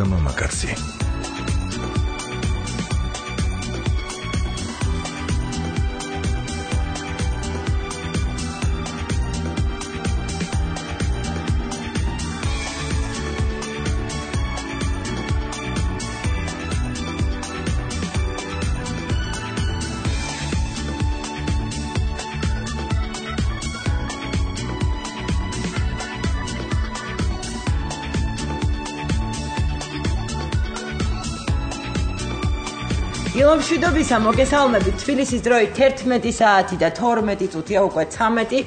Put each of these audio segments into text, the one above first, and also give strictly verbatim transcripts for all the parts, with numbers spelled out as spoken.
და მამაკაცი. მშვიდობისა მოგესალმებით თბილისის დროით თერთმეტი საათი და თორმეტი წუთია უკვე ცამეტი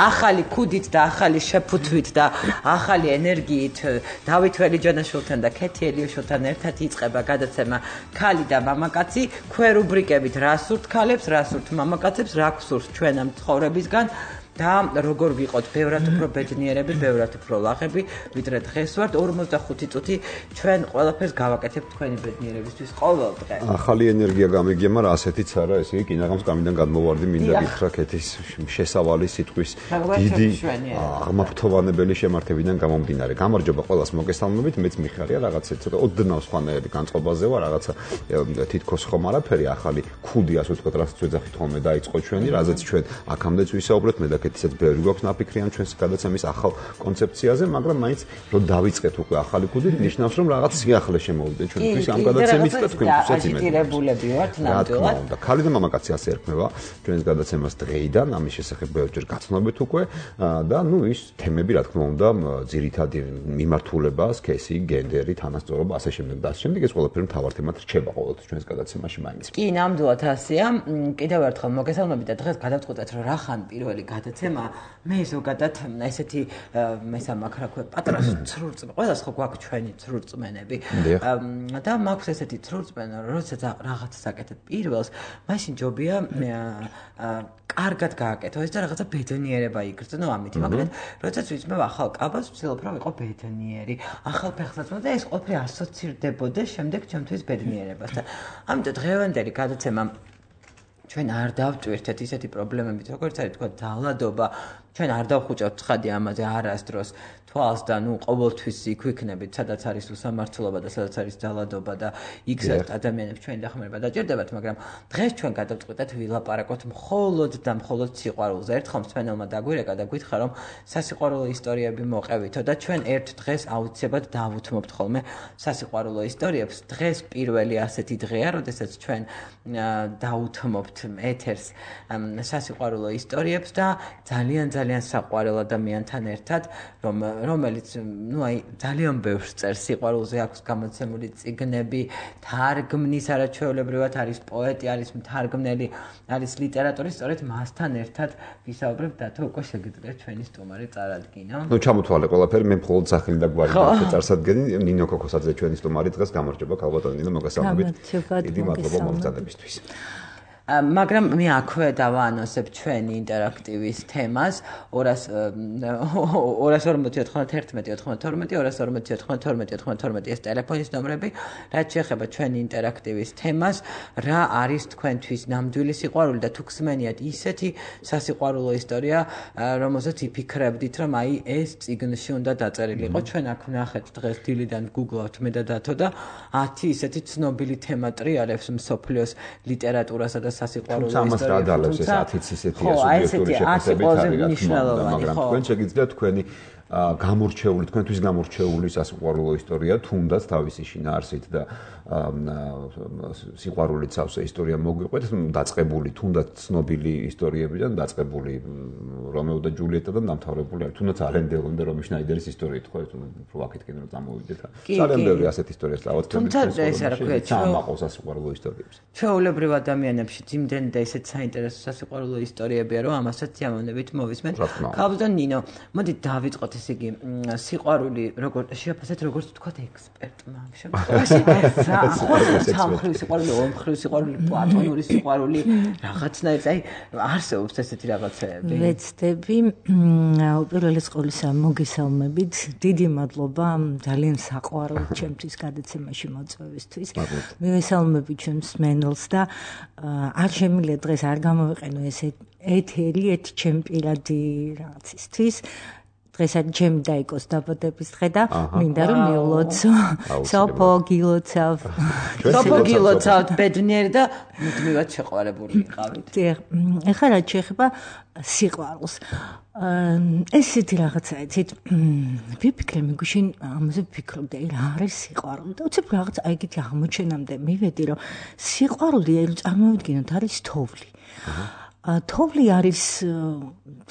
ახალი ქუდით და ახალი შეფუთვით და ახალი ენერგიით დავით ველიჯანაშვილთან და ქეთი ელიოშვილთან ერთად იწყება გადაცემა ქალი და მამაკაცი ქვევრუბრიკებით რა სურთ ქალებს რა სურთ მამაკაცებს რა გსურთ ჩვენ ამ ცხოვრებისგან და როგორ ვიყოთ ბევრად უფრო ბედნიერები, ბევრად უფრო ლაღები, ვიდრე დღეს ვართ ორმოცდახუთი წუთი ჩვენ ყველაფერს გავაკეთებთ თქვენი ბედნიერებისთვის ყოველ დღე. ახალი ენერგია გამიგია, მაგრამ ასეთიც არა, ესე იგი კინაღამ გამიდან გადმოვარდი მინდა გითხრა ქეთის შესავალი სიტყვის დიდი აღმაფრთოვანებელი შემართებიდან გამომდინარე. გამარჯობა ყველას მოგესალმებით, მეც მიხარია რაღაცა ცოტა ოდნავ სხვანაირი განწყობაზე ვარ, რაღაცა თითქოს ხომ არაფერი ახალი ქუდი ასე ვთქვათ, რაც ვეძახით ხოლმე დაიწყო ჩვენი, რაზეც ჩვენ აქამდეც ვისაუბრეთ მე და კეთისაც ბევრი გვაქვს ნაფიქრი ამ ჩვენს გადაცემის ახალ კონცეფციაზე, მაგრამ მაინც რომ დავიწყეთ უკვე ახალი ქუდით, ნიშნავს რომ რაღაც სიახლე შემოვიდა ჩვენთვის ამ გადაცემით და თქვენთვისაც იმედი. აგიტირებულები ვართ ნამდვილად. და ქალი და მამაკაცი ასე ერქმევა ჩვენს გადაცემას დღეიდან, ამის შესახებ ბევრჯერ გაცნობთ უკვე და ნუ ის თემები რა თქმა უნდა ძირითადი მიმართულება, სქესი, გენდერი, თანასწორობა, ასე შემდეგ და ასე შემდეგ ეს ყველაფერი მთავარ თემად რჩება ყოველთვის ჩვენს გადაცემაში მაინც. კი, ნამდვილად ასეა. კიდევ ერთხელ მოგესალმებით და დღეს გადავწყვეტეთ რომ რა ხან პირველი გადაცემა მე ზოგადად ესეთი მესამაქ რა ქვია პატარა ცრურწმენი ყველას ხო გვაქვს ჩვენი ცრურწმენები და მაქვს ესეთი ცრურწმენა როდესაც რაღაცას აკეთებ პირველს მაშინ ჯობია კარგად გააკეთო ეს და რაღაცა ბედნიერება იგრძნო ამით მაგრამ როდესაც ვიცმევ ახალ კაბას ვცდილობ რომ იყო ბედნიერი ახალ ფეხსაც და ეს ყველაფერი ასოცირდებოდეს შემდეგ ჩემთვის ბედნიერებასთან ამიტომ დღევანდელი გადაცემა ჩვენ არ დავტვირთეთ ისეთი პრობლემებით, როგორც არის თქვა დალადობა, ჩვენ არ დავხუჭავთ ცხადი ამაზე არასდროს თვალს და ნუ ყოველთვის იქ ვიქნებით, სადაც არის უსამართლობა და სადაც არის დალადობა და იქაც ადამიანებს ჩვენი დახმარება დაჭირდებათ, მაგრამ დღეს ჩვენ გადავწყვეტეთ ვილაპარაკოთ მხოლოდ და მხოლოდ სიყვარულზე. ერთხელ მსმენელმა დაგვირეკა და გითხრა რომ სასიყვარულო ისტორიები მოყევითო და ჩვენ ერთ დღეს აუცილებლად დავუთმობთ ხოლმე სასიყვარულო ისტორიებს. დღეს პირველი ასეთი დღეა, როდესაც ჩვენ დავუთმობთ ეთერს სასიყვარულო ისტორიებს და ძალიან ძალიან საყვარელ ადამიანთან ერთად, რომ რომელიც ნუ აი ძალიან ბევრს წერს სიყვარულზე, აქვს გამოცემული წიგნები, თარგმნის არაჩვეულებრივად არის პოეტი, არის მთარგმნელი, არის ლიტერატორი, სწორედ მასთან ერთად ვისაუბრებ და თუ უკვე შეგიძლიათ ჩვენი სტუმარი წარადგინო. ნუ ჩამოთვალე ყველაფერი, მე მხოლოდ სახელი და გვარი წარსადგენი, ნინო კოკოსაძე ჩვენი სტუმარი დღეს გამარჯობა ქალბატონი ნინო მოგესალმებით. დიდი მადლობა მომწადებისთვის. მაგრამ მე აქვე დავაანონსებ ჩვენი ინტერაქტივის თემას ორას ორმოცი ოთხმოცდაერთი ათორმეტი ათორმეტი ორას ორმოცი ოთხმოცდაერთი ათორმეტი ათორმეტი ეს ტელეფონის ნომრები, რაც შეეხება ჩვენი ინტერაქტივის თემას, რა არის თქვენთვის ნამდვილი სიყვარული და თუ გსმენიათ ისეთი სასიყვარულო ისტორია, რომელზეც იფიქრებდით, რომ აი ეს წიგნში უნდა დაწერილიყო. ჩვენ აქ ვნახეთ დღეს დილიდან გუგლავთ მე და დათო და ათი ისეთი ცნობილი თემა ტრიალებს მსოფლიოს ლიტერატურასა და სასიყვარულო ისტორიებს. თუმცა ამას რა დალევს ეს ათიც ისეთი სუბიექტური შეფასებით არის, მაგრამ თქვენ შეგიძლიათ თქვენი გამორჩეული, თქვენთვის გამორჩეული სასიყვარულო ისტორია, თუნდაც თავისი შინაარსით და სიყვარულით სავსე ისტორია მოგვიყვეთ, დაწყებული თუნდაც ცნობილი ისტორიებიდან, დაწყებული რომეო და ჯულიეტადან დამთავრებული არის, თუნდაც ალენ დელონ და რომი შნაიდერის ისტორიით, ხო, უფრო აქეთკენ რომ წამოვიდეთ. ძალიან ბევრი ასეთი ისტორია სწავლობთ. თუმცა ეს რა ქვია, ჩამაყოს სასიყვარულო ისტორიებს. ჩვეულებრივ ადამიანებში იმდენ და ისეთ საინტერესო სასიყვარულო ისტორიებია, რომ ამასაც ამონებით მოვისმენთ. ქალბატონ ნინო, მოდით დავიწყოთ ესე იგი სიყვარული როგორ შეაფასეთ როგორც ვთქვათ ექსპერტმა ამ შემთხვევაში სამხრივ სიყვარული, ორმხრივ სიყვარული, პლატონური სიყვარული, რაღაცნაირად აი არსებობს ესეთი რაღაცეები. ვეცდები, უპირველეს ყოვლისა მოგესალმებით, დიდი მადლობა ძალიან საყვარელ ჩემთვის გადაცემაში მოწვევისთვის. მივესალმები ჩვენ მსმენელს და არ შემიძლია დღეს არ გამოვიყენო ეს ეთერი, ერთ ჩემ პირადი რაღაცისთვის. დღეს არის ჩემი დაიკოს დაბადების დღე და მინდა რომ მიულოცო. სოფო გილოცავ. სოფო გილოცავ ბედნიერი და მუდმივად შეყვარებული იყავით. ეხლა რაც შეეხება სიყვარულს. ეს ისეთი რაღაცა, იცით, ვიფიქრე მიგუშინ ამაზე ვფიქრობდი, რა არის სიყვარული და უცებ რაღაც აი ეგეთი აღმოჩენამდე მივედი, რომ სიყვარული რომ წარმოვიდგინოთ არის თოვლი. თოვლი არის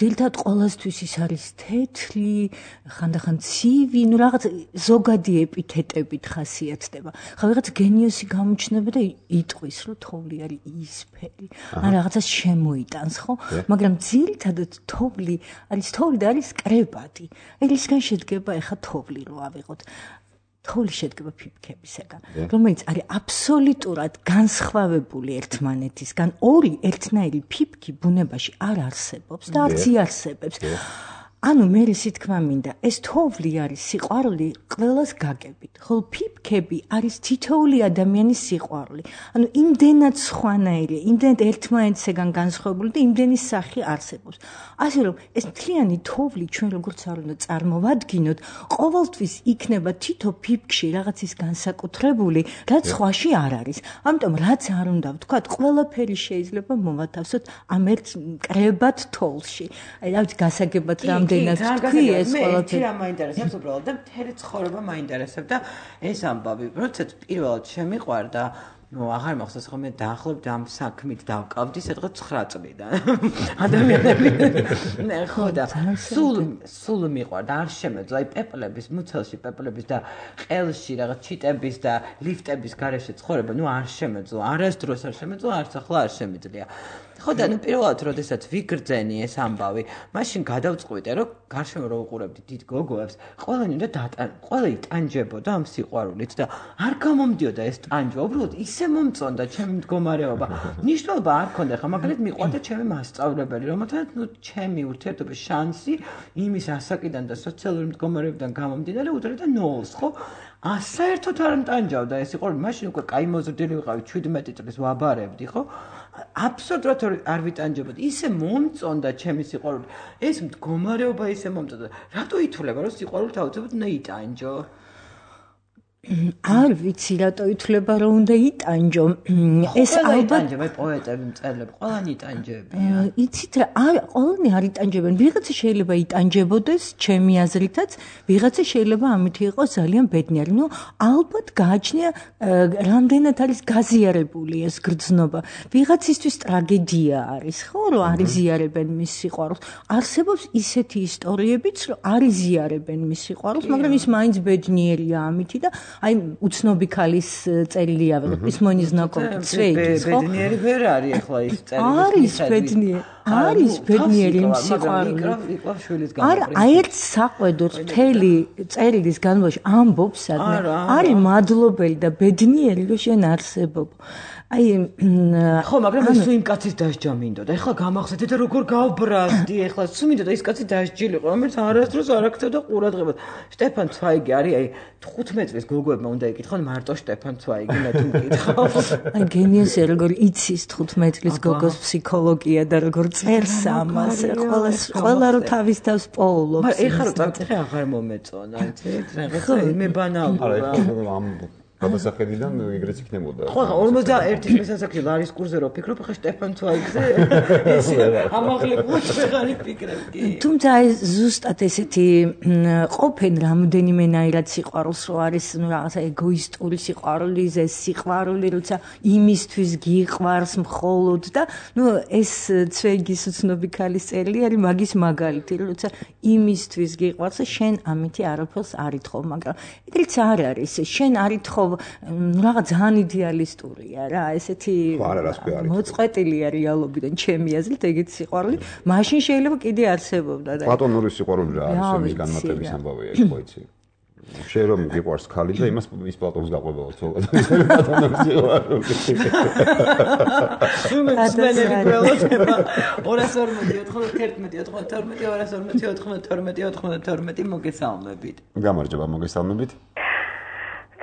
ძირითადად ყოველთვის ის არის თეთრი, ხანდახან ცივი, ну რაღაც ზოგადი ეპითეტებით ხასიათდება. ხა ვიღაც გენიოსი გამოჩნდება და იტყვის, რომ თოვლი არის ისფერი. ან რაღაცას შემოიტანს, ხო? მაგრამ ძირითადად თოვლი არის თოვლი და არის კრებადი. ერისგან შედგება ეხა თოვლი რო ავიღოთ. თოვლი შედგება ფიფქებისაგან, რომელიც არის აბსოლუტურად განსხვავებული ერთმანეთისგან. ორი ერთნაირი ფიფქი ბუნებაში არ არსებობს და არც იარსებებს. ანუ მე ისე თქვა მინდა, ეს თოვლი არის სიყვარული ყველას გაგებით, ხოლო ფიფქები არის თითოეული ადამიანის სიყვარული. ანუ იმდენად სხვანაირია, იმდენად ერთმანეთისგან განსხვავებული და იმდენი სახე არსებობს. ასე რომ ეს მთლიანი თოვლი ჩვენ როგორც არ უნდა წარმოვადგინოთ, ყოველთვის იქნება თითო ფიფქში რაღაცის განსაკუთრებული, რაც სხვაში არ არის. ამიტომ რაც არ უნდა ვთქვათ, ყველაფერი შეიძლება მოვათავსოთ ამ ერთ კრებად თოვლში. აი რა ვიცი, გასაგებად რამ თქვი ეს ყველაფერი. მე რა მაინტერესებს უბრალოდ და მთელი ცხოვრება მაინტერესებს და ეს ამბავი, როდესაც პირველად შემიყვარდა, ну, აღარ მახსოვს ხოლმე დაახლოებით ამ საქმით დავკავდი სადღაც ცხრა წლიდან. ადამიანები ნე ხო და სულ სულ მიყვარდა, არ შემეძლო, აი პეპლების, მუცელში პეპლების და ყელში რაღაც ჩიტების და ლიფტების გარეშე ცხოვრება, ну, არ შემეძლო, არასდროს არ შემეძლო, არც ახლა არ შემიძლია. ხო და ნუ პირველად როდესაც ვიგრძენი ეს ამბავი, მაშინ გადავწყვიტე, რომ გარშემო რო უყურებდი დიდ გოგოებს, ყველანი უნდა დატან, ყველა იტანჯებოდა ამ სიყვარულით და არ გამომდიოდა ეს ტანჯვა, უბრალოდ ისე მომწონდა ჩემი მდგომარეობა. ნიშნულობა არ ქონდა, ხა მაგალითად მიყვარდა ჩემი მასწავლებელი, რომელთანაც ნუ ჩემი ურთიერთობის შანსი იმის ასაკიდან და სოციალური მდგომარეობიდან გამომდინარე უდრედა ნოლს, ხო? საერთოდ არ მტანჯავდა ეს სიყვარული, მაშინ უკვე კაი მოზრდილი ვიყავი, შვიდმეტი წლის ვაბარებდი, ხო? აბსოლუტურად არ ვიტანჯებოდი. ისე მომწონდა ჩემი სიყვარული. ეს მდგომარეობა ისე მომწონდა. რატო ითვლება, რომ სიყვარულით აუცილებლად უნდა იტანჯო? არ ვიცი რატო ითვლება რომ უნდა იტანჯო. ეს ალბათ პოეტები, მწერლები, ყველანი იტანჯებიან. იცით რა, არ ყველანი არ იტანჯებენ. ვიღაცა შეიძლება იტანჯებოდეს, ჩემი აზრითაც, ვიღაცა შეიძლება ამით იყოს ძალიან ბედნიერი. ნუ ალბათ გააჩნია რამდენად არის გაზიარებული ეს გრძნობა. ვიღაცისთვის ტრაგედია არის, ხო, რომ არ იზიარებენ მის სიყვარულს. არსებობს ისეთი ისტორიებიც, რომ არ იზიარებენ მის სიყვარულს, მაგრამ ის მაინც ბედნიერია ამითი და აი უცნობი ქალის წერილი ავიღეთ პისმონის ნაკომპი ცვეიდის ხო ბედნიერი ვერ არის ახლა ის წერილი არის ბედნიერი არის ბედნიერი იმ სიყვარული არა აი ერთ საყვედურს მთელი წერილის განმავლობაში ამბობს სადმე არის მადლობელი და ბედნიერი რომ შენ არსებობ აი ხო მაგრამ ეს იმ კაცის დასჯა მინდოდა ეხლა გამახსენეთ და როგორ გავბრაზდი ეხლა სულ მინდოდა ის კაცი დასჯილიყო რომელიც არასდროს არ აქცევდა ყურადღებას შტეფან ცვაიგი არის აი თხუთმეტ წლის გოგოებმა უნდა იკითხონ მარტო შტეფან ცვაიგი მე თუ მკითხავ აი გენიოსია როგორ იცის თხუთმეტ წლის გოგოს ფსიქოლოგია და როგორ წერს ამას ყველა ყველა რო თავის თავს პოულობს მაგრამ ეხლა რო წავწეხე აღარ მომეწონა იცით რაღაცა მე ბანალურა ამ გადასახედიდან ეგრეც იქნებოდა. ხო, ორმოცდაერთის მესასაკში ლარის კურზე რო ფიქრობ, ხა შტეფან ცვაიგზე ესე ამაღლებული ვეღარ იფიქრებდი. თუმცა ეს ზუსტად ესეთი ყოფენ რამოდენიმენაირად სიყვარულს რო არის, ну რაღაცა ეგოისტური სიყვარული, ეს სიყვარული, როცა იმისთვის გიყვარს მხოლოდ და ну ეს ცვეიგის უცნობი ქალის წერილი არის მაგის მაგალითი, როცა იმისთვის გიყვარს, შენ ამითი არაფერს არ ითხოვ, მაგრამ ეგრეც არ არის, შენ არ ითხოვ რაღაც ძალიან იდეალისტურია რა ესეთი მოწყვეტილია რეალობიდან ჩემი აზრით ეგეთი სიყვარული მაშინ შეიძლება კიდე არსებობდა და პლატონური სიყვარული რა არის იმის განმარტების ამბავია ეს ხო იცი შენ რომ გიყვარს ხალი და იმას ის პლატონს გაყვებაო თქო პლატონური სიყვარული უმეცნიერები გველოდება ორას ორმოცი ოთხმოცდაერთმეტი ოთხმოცდათორმეტი ორას ორმოცი ოთხმოცდათორმეტი ოთხმოცდათორმეტი მოგესალმებით გამარჯობა მოგესალმებით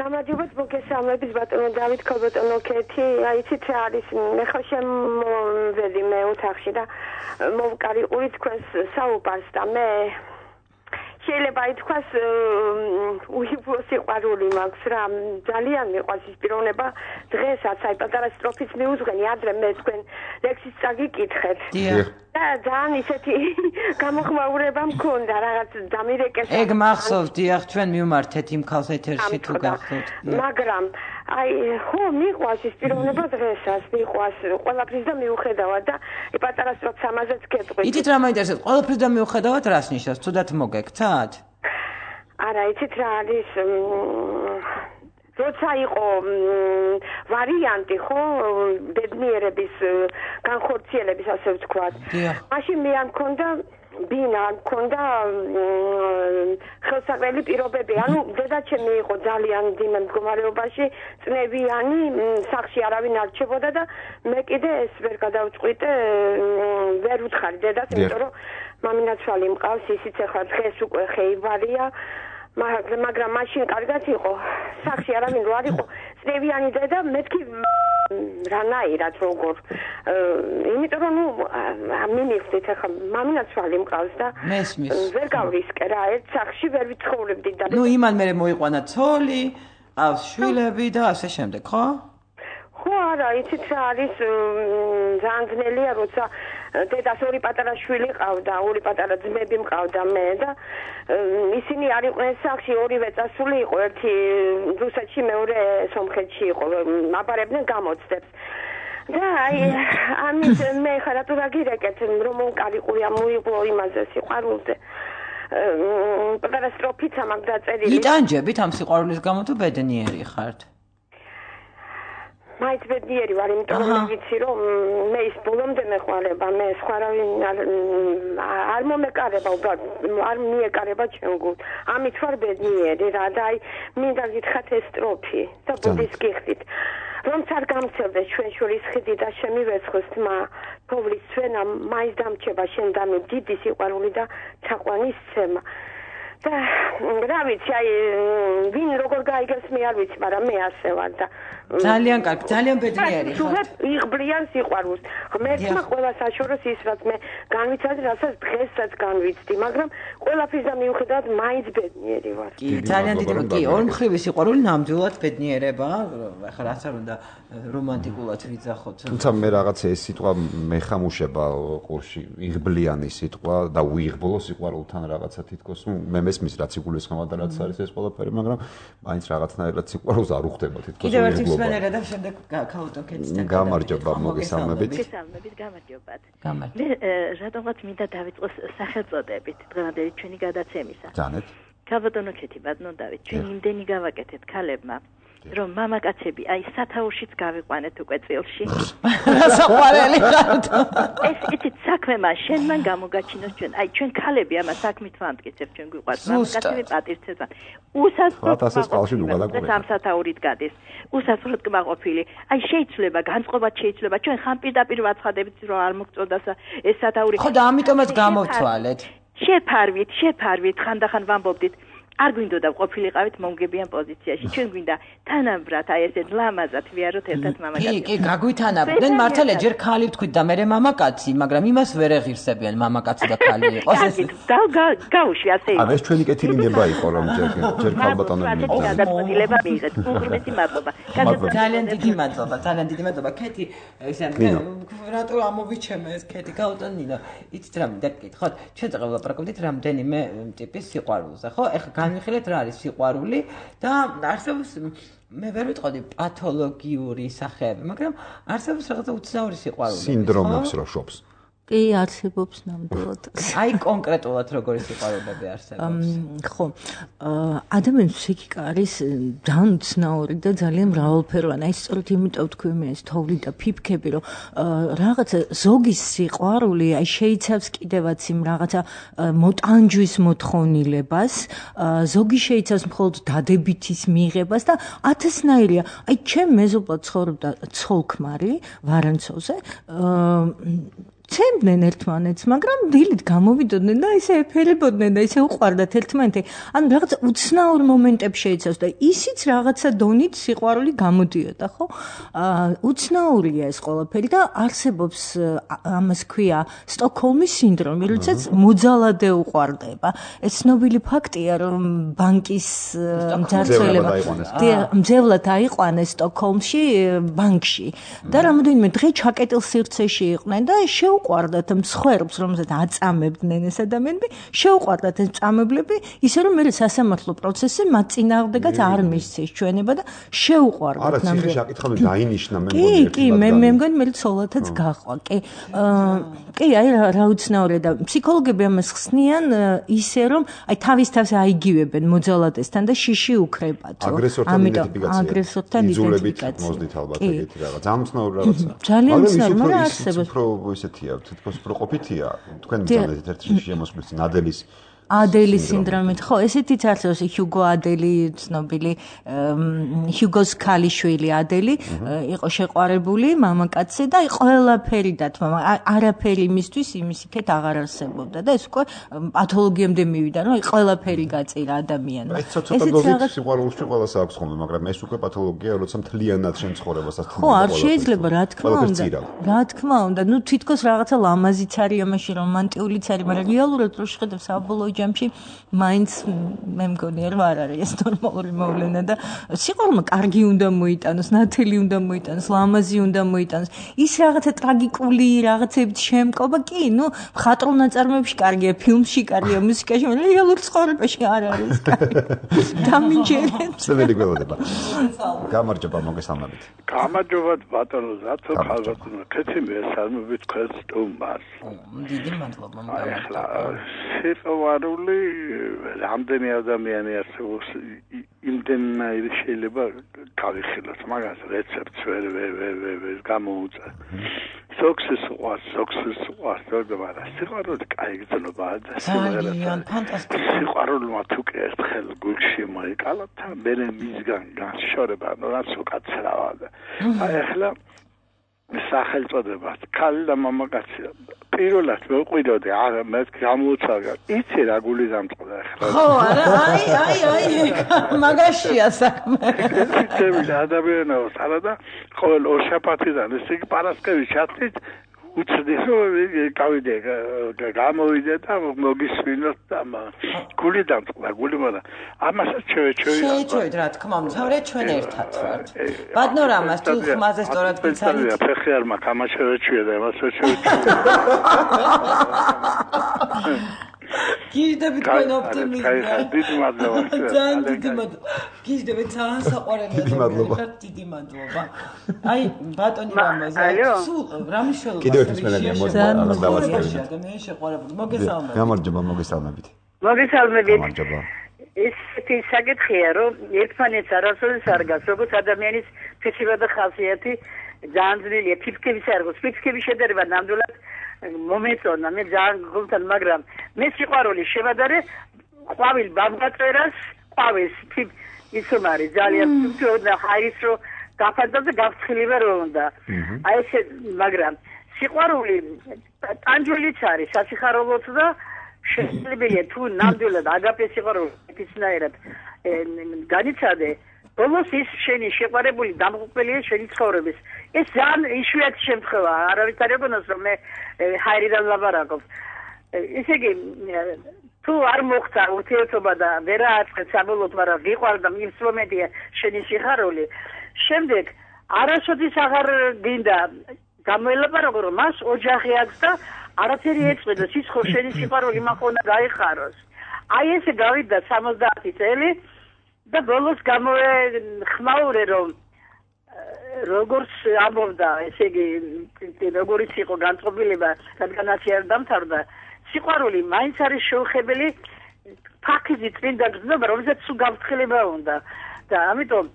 გამარჯობათ მოგესალმებით ბატონო დავით ქობატონო ქეთი აიცით რა არის მე ხო შემოვედი მე ოთახში და მოვკარი ურის თქვენს საუბარს და მე შეიძლება ითქვას უიღბლო სიყვარული მაქვს რა ძალიან მიყვარს ის პიროვნება დღესაც აი პატარა სტროფის მიუძღვენი ადრე მე თქვენ ლექსის წაგიკითხეთ და ძალიან ისეთი გამოხმაურება მქონდა რაღაც დამირეკეს ეგ მახსოვს დიახ ჩვენ მივმართეთ იმ ქალს ეთერში თუ გახსოვთ მაგრამ აი ხო მიყვარს ის პიროვნება დღესაც მიყვარს ყველაფრის და მიუხედავად და პატარა სტროფს ამაზეც გეტყვით იცით რა მაინტერესებს ყველაფრის და მიუხედავად რას ნიშნავს თუდად მოგექცათ არა იცით რა არის როცა იყო ვარიანტი ხო ბედნიერების განხორციელების ასე ვთქვათ მაშინ მე არ მქონდა ბინა მქონდა ხელსაყრელი პირობები ანუ დედაჩემი იყო ძალიან მძიმე მდგომარეობაში წნევიანი სახლში არავინ არ რჩებოდა და მე კიდე ეს ვერ გადავწყვიტე ვერ ვუთხარი დედას იმიტომ რომ მამინაცვალი მყავს ისიც ახლა დღეს უკვე ხეივარია მაგრამ მაშინ კარგად იყო სახლში არავინ რო არ იყო წნევიანი დედა მეთქი რანაირად როგორ იმიტომ რომ ნუ მიმიხდით ახლა მამინაცვალი მყავს და ვერ გავრისკე რა ერთ სახლში ვერ ვიცხოვრებდი და ნუ იმან მე მოიყვანა ცოლი ყავს შვილები და ასე შემდეგ ხო ხო არა იცით რა არის ძალიან ძნელია როცა დედას ორი პატარა შვილი ყავდა ორი პატარა ძმები მყავდა მე და ისინი არ იყვნენ სახლში ორივე წასული იყო ერთი რუსეთში მეორე სომხეთში იყო აბარებდნენ გამოცდებს და აი ამის მე ხარა თუ რაგირეკეთ რომ მომკარიყურია მოიღო იმაზე სიყვარულზე პატარა სტროფიც ამაგ დაწერილი იტანჯებით ამ სიყვარულის გამო თუ ბედნიერი ხართ მაინც ბედნიერი ვარ, იმიტომ რომ ვიცი რომ მე ის ბოლომდე მეყარება, მე სხვა რავინ არ მომეკარება, არ მიეკარება ჩემ გულს. ამით ვარ ბედნიერი რა და აი მინდა გითხრათ ეს სტროფი და ბუდის გიხდით. რომ არ გამცელდეს ჩვენ შორის ხიდი და შემივეცხოს თმა, თოვლის ცვენა მაინც დამრჩება შენ და მე დიდი სიყვარული და ჩაყვანის ცემა. და რა ვიცი, აი ვინ როგორ გაიგებს მე არ ვიცი, მაგრამ მე ასე ვარ და ძალიან კარგი, ძალიან ბედნიერი ხარ. იღბლიან სიყვარულს. ღმერთმა ყველა საშოროს ის რაც მე განვიცადე, რასაც დღესაც განვიცდი, მაგრამ ყველაფრის და მიუხედავად მაინც ბედნიერი ვარ. კი, ძალიან დიდი კი, ორმხრივი სიყვარული ნამდვილად ბედნიერება, ახლა რაც არ უნდა რომანტიკულად ვიძახოთ. თუმცა მე რაღაცა ეს სიტყვა მეხამუშება ყურში, იღბლიანი სიტყვა და უიღბლო სიყვარულთან რაღაცა თითქოს, ნუ მე მესმის რაც იგულისხმება და რაც არის ეს ყველაფერი, მაგრამ მაინც რაღაცნაირად სიყვარულს არ უხდება თითქოს. კიდევ ერთი მსმენელი და შემდეგ ქალბატონ კეთისთან გამარჯობა, მოგესალმებით. მოგესალმებით, გამარჯობათ. მე რატომღაც მინდა დავიწყოს სახელწოდებით დღევანდელი ჩვენი გადაცემისა. ძანეთ. ქალბატონო კეთი ბატონოდავით, ჩვენ იმდენი გავაკეთეთ ქალებმა, რომ მამაკაცები აი სათაურშიც გავიყვანეთ უკვე წილში. რასაყვარელი ხართ. ეს იცით საქმემა შენ მან გამოგაჩინოს ჩვენ. აი ჩვენ ქალები ამა საქმით ვამტკიცებთ ჩვენ გვიყვარს მამაკაცები პატივცემენ. უსასრულოდ სამსათაურით გადის. უსასრულოდ კმაყოფილი. აი შეიძლება განწყობაც შეიძლება ჩვენ ხან პირდაპირ ვაცხადებით რომ არ მოგწოდას ეს სათაური. ხო და ამიტომაც გამოვთვალეთ. შეფარვით, შეფარვით ხანდახან ვამბობდით. არ გვინდოდა ყოფილიყავით მომგებიან პოზიციაში. ჩვენ გვინდა თანაბრად აი ესეთ ლამაზად ვიაროთ ერთად მამაკაცი. კი, კი, გაგვითანაბრდნენ მართალია ჯერ ქალი ვთქვით და მე მამაკაცი, მაგრამ იმას ვერ ეღირსებიან მამაკაცი და ქალი იყოს ეს. გაუშვი ასე იყო. ანუ ეს ჩვენი კეთილინება იყო რომ ჯერ ჯერ ქალბატონები მითხრა. გადაწყვეტილება მიიღეთ. უღრმესი მადლობა. ძალიან დიდი მადლობა, ძალიან დიდი მადლობა. კეთი, ესე რატო ამოვიჩემე ეს კეთი გაუტანინა. იცით რა მინდა გკითხოთ? ჩვენ წაღლა ვლაპარაკობდით რამდენიმე ტიპის სიყვარულზე, ხო? ეხლა განვიხილეთ რა არის სიყვარული და არსებობს მე ვერ ვიტყოდი პათოლოგიური სახეები, მაგრამ არსებობს რაღაცა უცნაური სიყვარული. სინდრომებს რო შობს. კი, არსებობს ნამდვილად. აი კონკრეტულად როგორი სიყვარულები არსებობს? ხო, ადამიანის ფსიქიკა არის ძალიან უცნაური და ძალიან მრავალფეროვანი. აი სწორედ იმიტომ თქვი მე ეს თოვლი და ფიფქები, რომ რაღაცა ზოგის სიყვარული აი შეიცავს კიდევაც იმ რაღაცა მოტანჯვის მოთხოვნილებას, ზოგი შეიცავს მხოლოდ დადებითის მიღებას და ათასნაირია. აი ჩემ მეზობლად ცხოვრობდა ცოლ-ქმარი ვარანცოვზე, ცემდნენ ერთმანეთს, მაგრამ დილით გამოვიდოდნენ და ისე ეფერებოდნენ და ისე უყვარდათ ერთმანეთი. ანუ რაღაც უცნაურ მომენტებში შეიცავს და ისიც რაღაცა დონით სიყვარული გამოდიოდა, ხო? აა უცნაურია ეს ყველაფერი და არსებობს ამას ქვია სტოკჰოლმის სინდრომი, როდესაც მოძალადე უყვარდება. ეს ცნობილი ფაქტია, რომ ბანკის მძარცველება მძევლად აიყვანეს სტოკჰოლმში ბანკში და რამოდენიმე დღე ჩაკეტილ სივრცეში იყვნენ და შეუყვარდათ მსხვერპლს, რომელსაც აწამებდნენ ეს ადამიანები, შეუყვარდათ ეს წამებლები, ისე რომ მე სასამართლო პროცესზე მათ წინააღმდეგაც არ მისცეს ჩვენება და შეუყვარდათ. არა, ციხე შაკითხავენ დაინიშნა მე მგონი. კი, კი, მე მე მგონი მე ცოლათაც გაყვა. კი. კი, აი რა უცნაურია და ფსიქოლოგები ამას ხსნიან ისე რომ აი თავის თავს აიგივებენ მოძალადესთან და შიში უკრებათო. აგრესორთან იდენტიფიკაცია. აგრესორთან იდენტიფიკაცია. მოძდით ალბათ ეგეთი რაღაც. ძალიან უცნაური რაღაცა. ძალიან უცნაური, მაგრამ არსებობს. უფრო ისეთია, თითქოს უფრო ყოფითია. თქვენ მძალადეთ ერთ შემოსვლის ნადელის ადელის სინდრომით, ხო, ესეთიც არსებობს ჰიუგო ადელი, ცნობილი ჰიუგოს ქალიშვილი ადელი, იყო შეყვარებული მამაკაცზე და ყველაფერი დათმა, არაფერი იმისთვის იმის იქეთ აღარ არსებობდა და ეს უკვე პათოლოგიამდე მივიდა, რომ ყველაფერი გაწირა ადამიანმა. ეს ცოტა დოზით სიყვარულში ყველას აქვს ხოლმე, მაგრამ ეს უკვე პათოლოგია, როცა მთლიანად შენ ცხოვრებასაც ხო, არ შეიძლება, რა თქმა უნდა. რა თქმა უნდა, ნუ თითქოს რაღაცა ლამაზიც არის ამაში, რომანტიულიც არის, მაგრამ რეალურად რო შეხედავ საბოლოო ჯამში მაინც მე მგონი რომ არ არის ეს ნორმალური მოვლენა და სიყვარულმა კარგი უნდა მოიტანოს, ნათელი უნდა მოიტანოს, ლამაზი უნდა მოიტანოს. ის რაღაცა ტრაგიკული რაღაცებით შემკობა, კი, ნუ მხატვრულ ნაწარმოებში კარგია, ფილმში კარგია, მუსიკაში, მაგრამ რეალურ ცხოვრებაში არ არის კარგი. დამიჯერებს. სეველი გველოდება. გამარჯობა, მოგესალმებით. გამარჯობა ბატონო ზათო ხალხო, კეთილი მესალმებით თქვენს სტუმარს. დიდი მადლობა ახლა სიყვარული რამდენი ადამიანი არსებობს იმდენად შეიძლება გავიხილოთ მაგას რეცეპტს ვერ ვერ ვერ ვერ გამოუწა სოქსის უყარს სოქსის უყარს მაგრამ სიყვარული კაი გზნობაა და სიყვარულმა თუ კი ერთხელ გულში მოიკალა თან მე მისგან განშორება რაც უკაცრავა და აი ახლა სახელწოდება ქალი და მამაკაცი პირველად მეყვიდოდი არა მე გამოცაგა იცი რა გული დამწყდა ახლა ხო არა აი აი აი მაგაშია საქმე ცემი ადამიანებს არა და ყოველ ორშაბათიდან ესე იგი პარასკევი ჩათით უცდი რომ გავიდე გამოვიდე და მოგისმინოთ და გული დამწყდა გული მაგრამ ამასაც შევეჩვევი შევეჩვევით რა თქმა უნდა თორე ჩვენ ერთად ვართ ბატონო რამას თუ ხმაზე სწორად გიცანით ფეხი არ მაქვს ამას შევეჩვია და ამას შევეჩვია გიჟდებით თქვენ ოპტიმიზმია დიდი მადლობა ძალიან დიდი მადლობა გიჟდებით ძალიან საყვარელი ადამიანები დიდი მადლობა აი ბატონი რამაზე სულ რამის შეიძლება კიდევ ერთი მსმენელია მოძალადეთ მე შეყვარებული მოგესალმებით გამარჯობა მოგესალმებით მოგესალმებით გამარჯობა ისეთი საკითხია რომ ერთმანეთს არასოდეს არ გას როგორც ადამიანის ფიცება და ხასიათი ძალიან ძნელია ფიფკების არ გოს ფიფკების შედარება ნამდვილად მომეწონა მე ძალიან გულთან მაგრამ მე სიყვარული შევადარე ყვავილ ბაბგაწერას ყვავილს ის რომ არის ძალიან თუნდა ჰაის რო გაფანტა და გავცხილება რომ უნდა აი ეს მაგრამ სიყვარული ტანჯულიც არის სასიხარულოც და შესაძლებელია თუ ნამდვილად აგაპე სიყვარული ისნაირად განიცადე ბოლოს ის შენი შეყვარებული დამღუპველია შენი ცხოვრების ეს ძალიან იშვიათი შემთხვევა არავის არ ეგონოს რომ მე ჰაერიდან ლაბარაკობ ესე იგი თუ არ მოხდა ურთიერთობა და ვერ აწყეთ საბოლოოდ მაგრამ ვიყვარდა მისლომედია შენი სიხარული შემდეგ არასოდეს აღარ გინდა გამოელაპარაკო რომ მას ოჯახი აქვს და არაფერი ეწყვეტოს ის ხო შენი სიხარული მაქ უნდა გაიხაროს აი ესე გავიდა სამოცდაათი წელი და ბოლოს გამოეხმაურე რომ როგორც ამბობდა ესე იგი როგორიც იყო განწყობილება რადგანაც არ დამთავრდა სიყვარული მაინც არის შეუხებელი ფაქიზი წმინდა გზნობა რომელსაც სულ გავცხილება უნდა და ამიტომ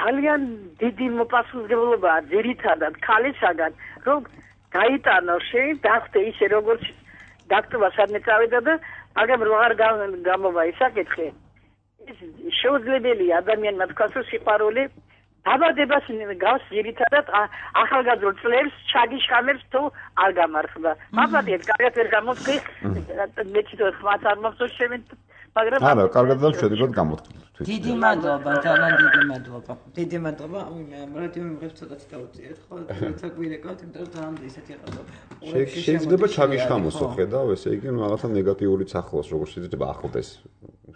ძალიან დიდი მოპასუხებლობაა ძირითადად ქალისაგან რომ გაიტანო შენ დახტე ისე როგორც დაქტობა სადმე წავიდა და მაგრამ რო არ გამოვა ის საკითხი შეუძლებელია ადამიანმა თქვას რომ სიყვარული დაბადებას გავს ძირითადად ახალგაზრდულ წლებს ჩაგიშხამებს თუ არ გამარხდა. მადლობთ, კარგად ვერ გამოთქვი. მე თვითონ ხმაც არ მახსოვს შემენ მაგრამ არა, კარგად და მშვიდობად გამოთქვით. დიდი მადლობა, ძალიან დიდი მადლობა. დიდი მადლობა. მე რადიო მიმღებს ცოტათი დავუწიეთ, ხო? თუმცა გვირეკავთ, იმიტომ რომ ძალიან ისეთი ყავდა. შეიძლება ჩაგიშხამოსო, ხედავ, ესე იგი, რაღაცა ნეგატიური ახლოს, როგორ შეიძლება ახლდეს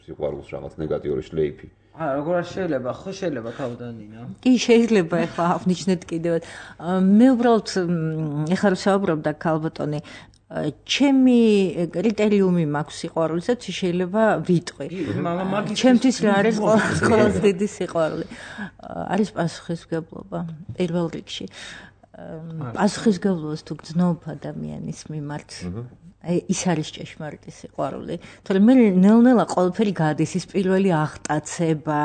სიყვარულს რაღაც ნეგატიური შლეიფი. აა, როგორ შეიძლება, ხო შეიძლება თავდანინა. კი, შეიძლება ახლა აღნიშნეთ კიდევ. მე უბრალოდ ეხლა რომ საუბრობდა ქალბატონი ჩემი კრიტერიუმი მაქვს სიყვარულისაც შეიძლება ვიტყვი. ჩემთვის რა არის ყველაზე დიდი სიყვარული? არის პასუხისმგებლობა პირველ რიგში. პასუხისმგებლობას თუ გძნობ ადამიანის მიმართ აი ის არის ჭეშმარიტი სიყვარული. თორემ მე ნელ-ნელა ყველაფერი გადის ის პირველი აღტაცება,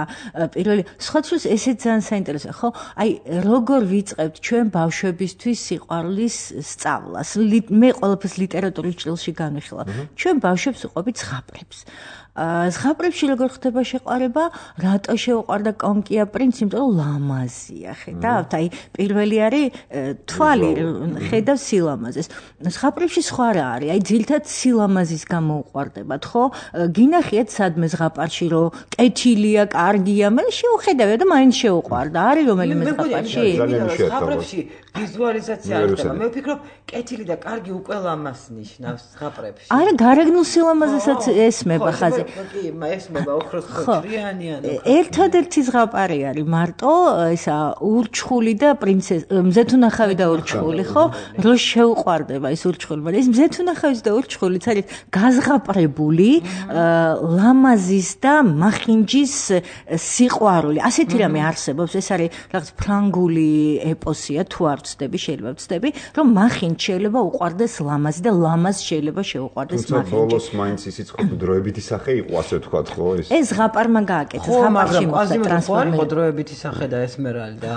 პირველი სხვათვის ესეც ძალიან საინტერესოა, ხო? აი როგორ ვიწყებთ ჩვენ ბავშვებისთვის სიყვარულის სწავლას? მე ყველაფერს ლიტერატურის ჭრილში განვიხილავ. ჩვენ ბავშვებს ვუყვებით ზღაპრებს. ზღაპრებში როგორ ხდება შეყვარება? რატო შეუყვარდა კონკია პრინცი? იმიტომ რომ ლამაზია, ხედავთ? აი პირველი არის თვალი, ხედავ სილამაზეს. ზღაპრებში სხვა რა არის? აი ძილთად სილამაზის გამო უყვარდებათ, ხო? გინახიათ სადმე ზღაპარში რომ კეთილია, კარგია, მე შეუხედავია და მაინც შეუყვარდა. არის რომელიმე ზღაპარში? ზღაპრებში ვიზუალიზაცია არ ხდება. მე ვფიქრობ, კეთილი და კარგი უკვე ლამაზ ნიშნავს ზღაპრებში. არა, გარეგნულ სილამაზესაც ესმება ხაზი. კი, ესმება ოქროს ხორციანიან. ერთადერთი ზღაპარი არის მარტო ისა ურჩხული და პრინცესა, მზეთუნახავი და ურჩხული, ხო? რო შეუყვარდება ის ურჩხული, მაგრამ ეს მზეთუნახავის და ურჩხულიც არის გაზღაპრებული ლამაზის და მახინჯის სიყვარული. ასეთი რამე არსებობს, ეს არის რაღაც ფრანგული ეპოსია, თუ არ ვცდები, შეიძლება ვცდები, რომ მახინჯ შეიძლება უყვარდეს ლამაზი და ლამაზ შეიძლება შეუყვარდეს მახინჯი. თუმცა ბოლოს მაინც ისიც ხო დროებითი სახე იყო, ასე ვთქვათ, ხო ეს? ეს ზღაპარმა გააკეთა, ზღაპარში მოხდა ტრანსფორმაცია. ხო, დროებითი სახე და ესმერალდა.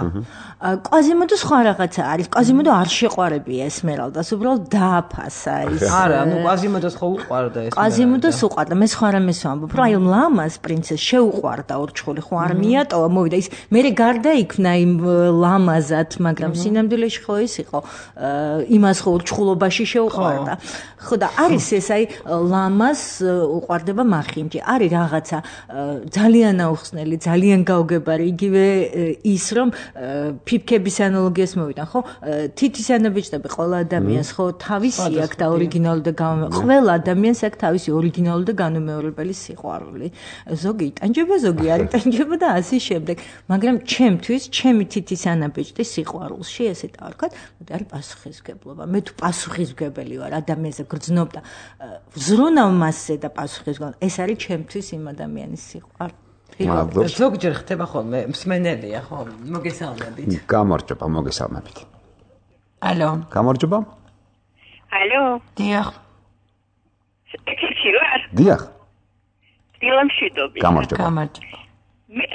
კვაზიმოდო სხვა რაღაცა არის. კვაზიმოდო არ შეყვარებია ესმერალდას, უბრალოდ დააფასა ის. არა, ну კვაზიმოდოს ხო უყვარდა ეს. კვაზიმოდოს უყვარდა, მე სხვა რამეს ვამბობ, რომ აი ლამაზ პრინცეს შეუყვარდა ურჩხული, ხო არ მიატოვა, მოვიდა ის. მე გარდაიქმნა იმ ლამაზად, მაგრამ სინამდვილეში ხო ის იყო, იმას ხო ურჩხულობაში შეუყვარდა. ხო და არის ეს აი ლამაზ უყვარდება მახინჯი. არის რაღაცა ძალიან აუხსნელი, ძალიან გაუგებარი, იგივე ის რომ ფიფქების ანალოგიას მოვიდან, ხო? თითის ანაბეჭდები ყველა ადამიანს ხო თავისი აქვს და ორიგინალური და ყველა ადამიანს აქვს თავისი ორიგინალური და განუმეორებელი სიყვარული. ზოგი იტანჯება, ზოგი არ იტანჯება და ასე შემდეგ. მაგრამ ჩემთვის, ჩემი თითის ანაბეჭდის სიყვარულში, ესე დავარქვათ, არის პასუხისმგებლობა. მე თუ პასუხისმგებელი ვარ ადამიანზე გრძნობ და ვზრუნავ მასზე და პასუხისმგებლობა, ეს არის ჩემთვის იმ ადამიანის სიყვარული. ზოგჯერ ხდება ხოლმე მსმენელია, ხო? მოგესალმებით. გამარჯობა, მოგესალმებით. ალო. გამარჯობა. ალო. დიახ. ეკიცი ვარ? დიახ. დილამშვიდობი. გამარჯობა. გამარჯობა. მე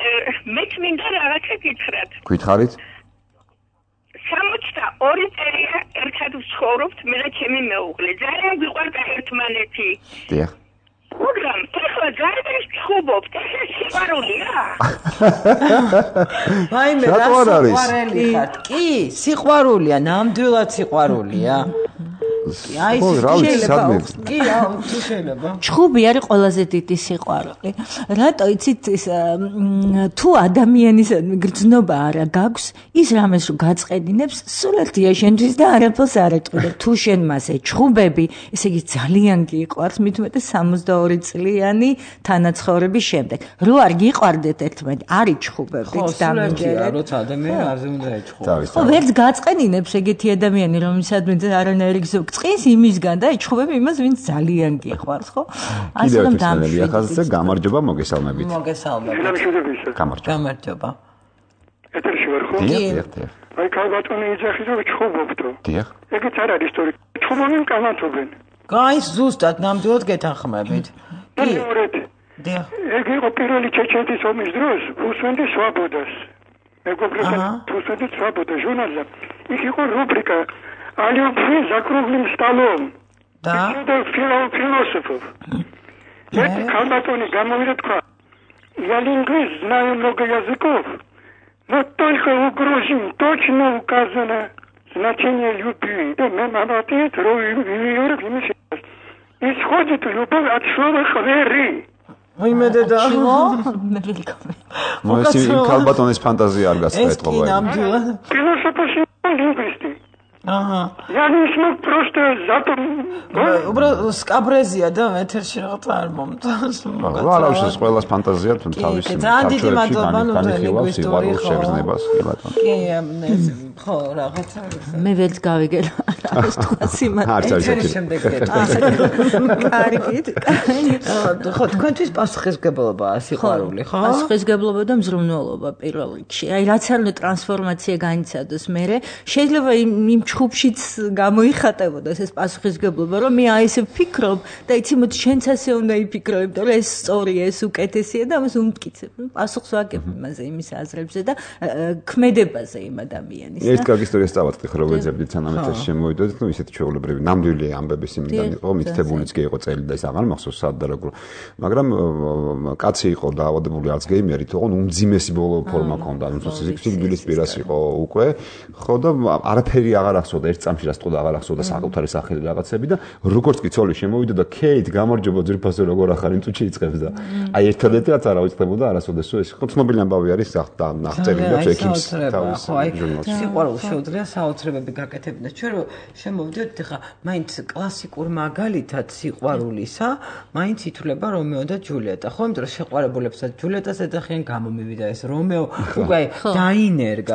მე მინდა რაღაცა გითხრათ. გითხარით? სამოცდა ორი წელია ერთად ვცხოვრობთ მე და ჩემი მეუღლე. ძალიან გვიყვარდა ერთმანეთი. დიახ. მაგრამ ეხლა ძალიან ვცხოვრობთ, ეს სიყვარულია? ვაიმე, რა სიყვარული ხართ? კი, სიყვარულია, ნამდვილად სიყვარულია. აი, შეიძლება. კი, თუ შეიძლება. ჩხუბი არის ყველაზე დიდი სიყვარული. რატო იცით ის თუ ადამიანის გრძნობა არა გაქვს, ის რამეს რო გაწყედინებს, სულელთია შენთვის და არაფერს არ ეტყოდა. თუ შენ მას ეჩხუბები, ესე იგი ძალიან გიყვარს, მით უმეტეს სამოცდაორი წლიანი თანაცხოვრების შემდეგ. რო არ გიყვარდეთ ერთმანეთს, არ იჩხუბებით დამიჯერეთ. როცა ადამიანი არზე უნდა ეჩხუბოს. ხო, ვერც გაწყედინებს ეგეთი ადამიანი, რომელსაც არანაირი გზო წqins იმისგან და ეჩხუბები იმას, ვინც ძალიან გიყვარს, ხო? ასე რომ დამშვიდობ. ახალზე გამარჯობა, მოგესალმებით. მოგესალმებით. გამარჯობა. გამარჯობა. ეთერში ვარ ხო? დიახ, დიახ. აი ქალბატონი იძახის რომ ჩხუბობდო. დიახ. ეგეც არ არის ისტორია. ჩხუბობენ კამათობენ. გაის ზუსტად ნამდვილად გეთანხმებით. კი. დიახ. ეგ იყო პირველი ჩეჩეთის ომის დროს რუსვენდი სვაბოდას. მეგობრებთან რუსვენდი სვაბოდა ჟურნალზე. იქ იყო რუბრიკა Алёбы за круглым столом. Да. Это философов. Это Калбатони говорит, я лингвист, знаю много языков, Вот только угрозим точно указано значение любви. Да, нам обратит рой исходит любовь от слова хвери. Ой, მე დედა. მე ველკამი. მოეს იმ ქალბატონის ფანტაზია არ გასწრეთყობა. ეს კი ნამდვილად. Философы лингвисты. აჰა. Я не смог просто запом. უბრალოდ სკაბრეზია და ეთერში რაღაცა არ მომწონს. არა, უშეს ყველას ფანტაზია თუ თავის ქართველებში განიხილავს სიყვარულის შეგრძნებას, კი ბატონო. კი, ეს ხო, რაღაცა. მე ველც გავიგე ეს თქვა სიმართლე. არც არის ეს შემდეგ კარგით. ხო, თქვენთვის პასუხისმგებლობაა სიყვარული, ხო? პასუხისმგებლობა და მზრუნველობა პირველ რიგში. აი რაც არ უნდა ტრანსფორმაცია განიცადოს მერე, შეიძლება იმ ჩხუბშიც გამოიხატებოდეს ეს პასუხისმგებლობა, რომ მე აი ესე ვფიქრობ და იცი მოდი შენც ასე უნდა იფიქროებ, რომ ეს სწორია, ეს უკეთესია და ამას უმტკიცებ. პასუხს ვაკებ იმაზე, იმის აზრებზე და ქმედებაზე იმ ადამიანის. ერთ კარგი ისტორიას დავაწყდი ხო, რომ ვეძებდით სანამ ეთერში შემოვიდოდით, ну ისეთი ჩვეულებრივი ნამდვილი ამბების იმიდან იყო, მითითებულიც კი იყო წელი და ის აღარ მახსოვს სად და როგორ. მაგრამ კაცი იყო დაავადებული ალცჰეიმერით, ოღონ უმძიმესი ბოლო ფორმა ჰქონდა, ანუ სიკვდილის პირას იყო უკვე, ხო და არაფერი აღარ ახსოვდა, ერთ წამში რა სწორად აღარ ახსოვდა საკუთარი სახელი რაღაცები და როგორც კი ცოლი შემოვიდა და ქეით გამარჯობა ძირფასო როგორ ახარ იმ წუთში იწყებს და აი ერთადერთი რაც არ ავიწყდებოდა არასოდეს ეს ხო ცნობილი ამბავი არის აღწერილი და ექიმს თავის ჟურნალში. სიყვარულს შეუძლია საოცრებები გაკეთებინა. ჩვენ რომ შემოვიდეთ ხა მაინც კლასიკურ მაგალითად სიყვარულისა, მაინც ითვლება რომეო და ჯულიეტა. ხო, იმიტომ რომ შეყვარებულებსაც ჯულიეტას ეძახიან, გამომივიდა ეს რომეო, უკვე დაინერგა.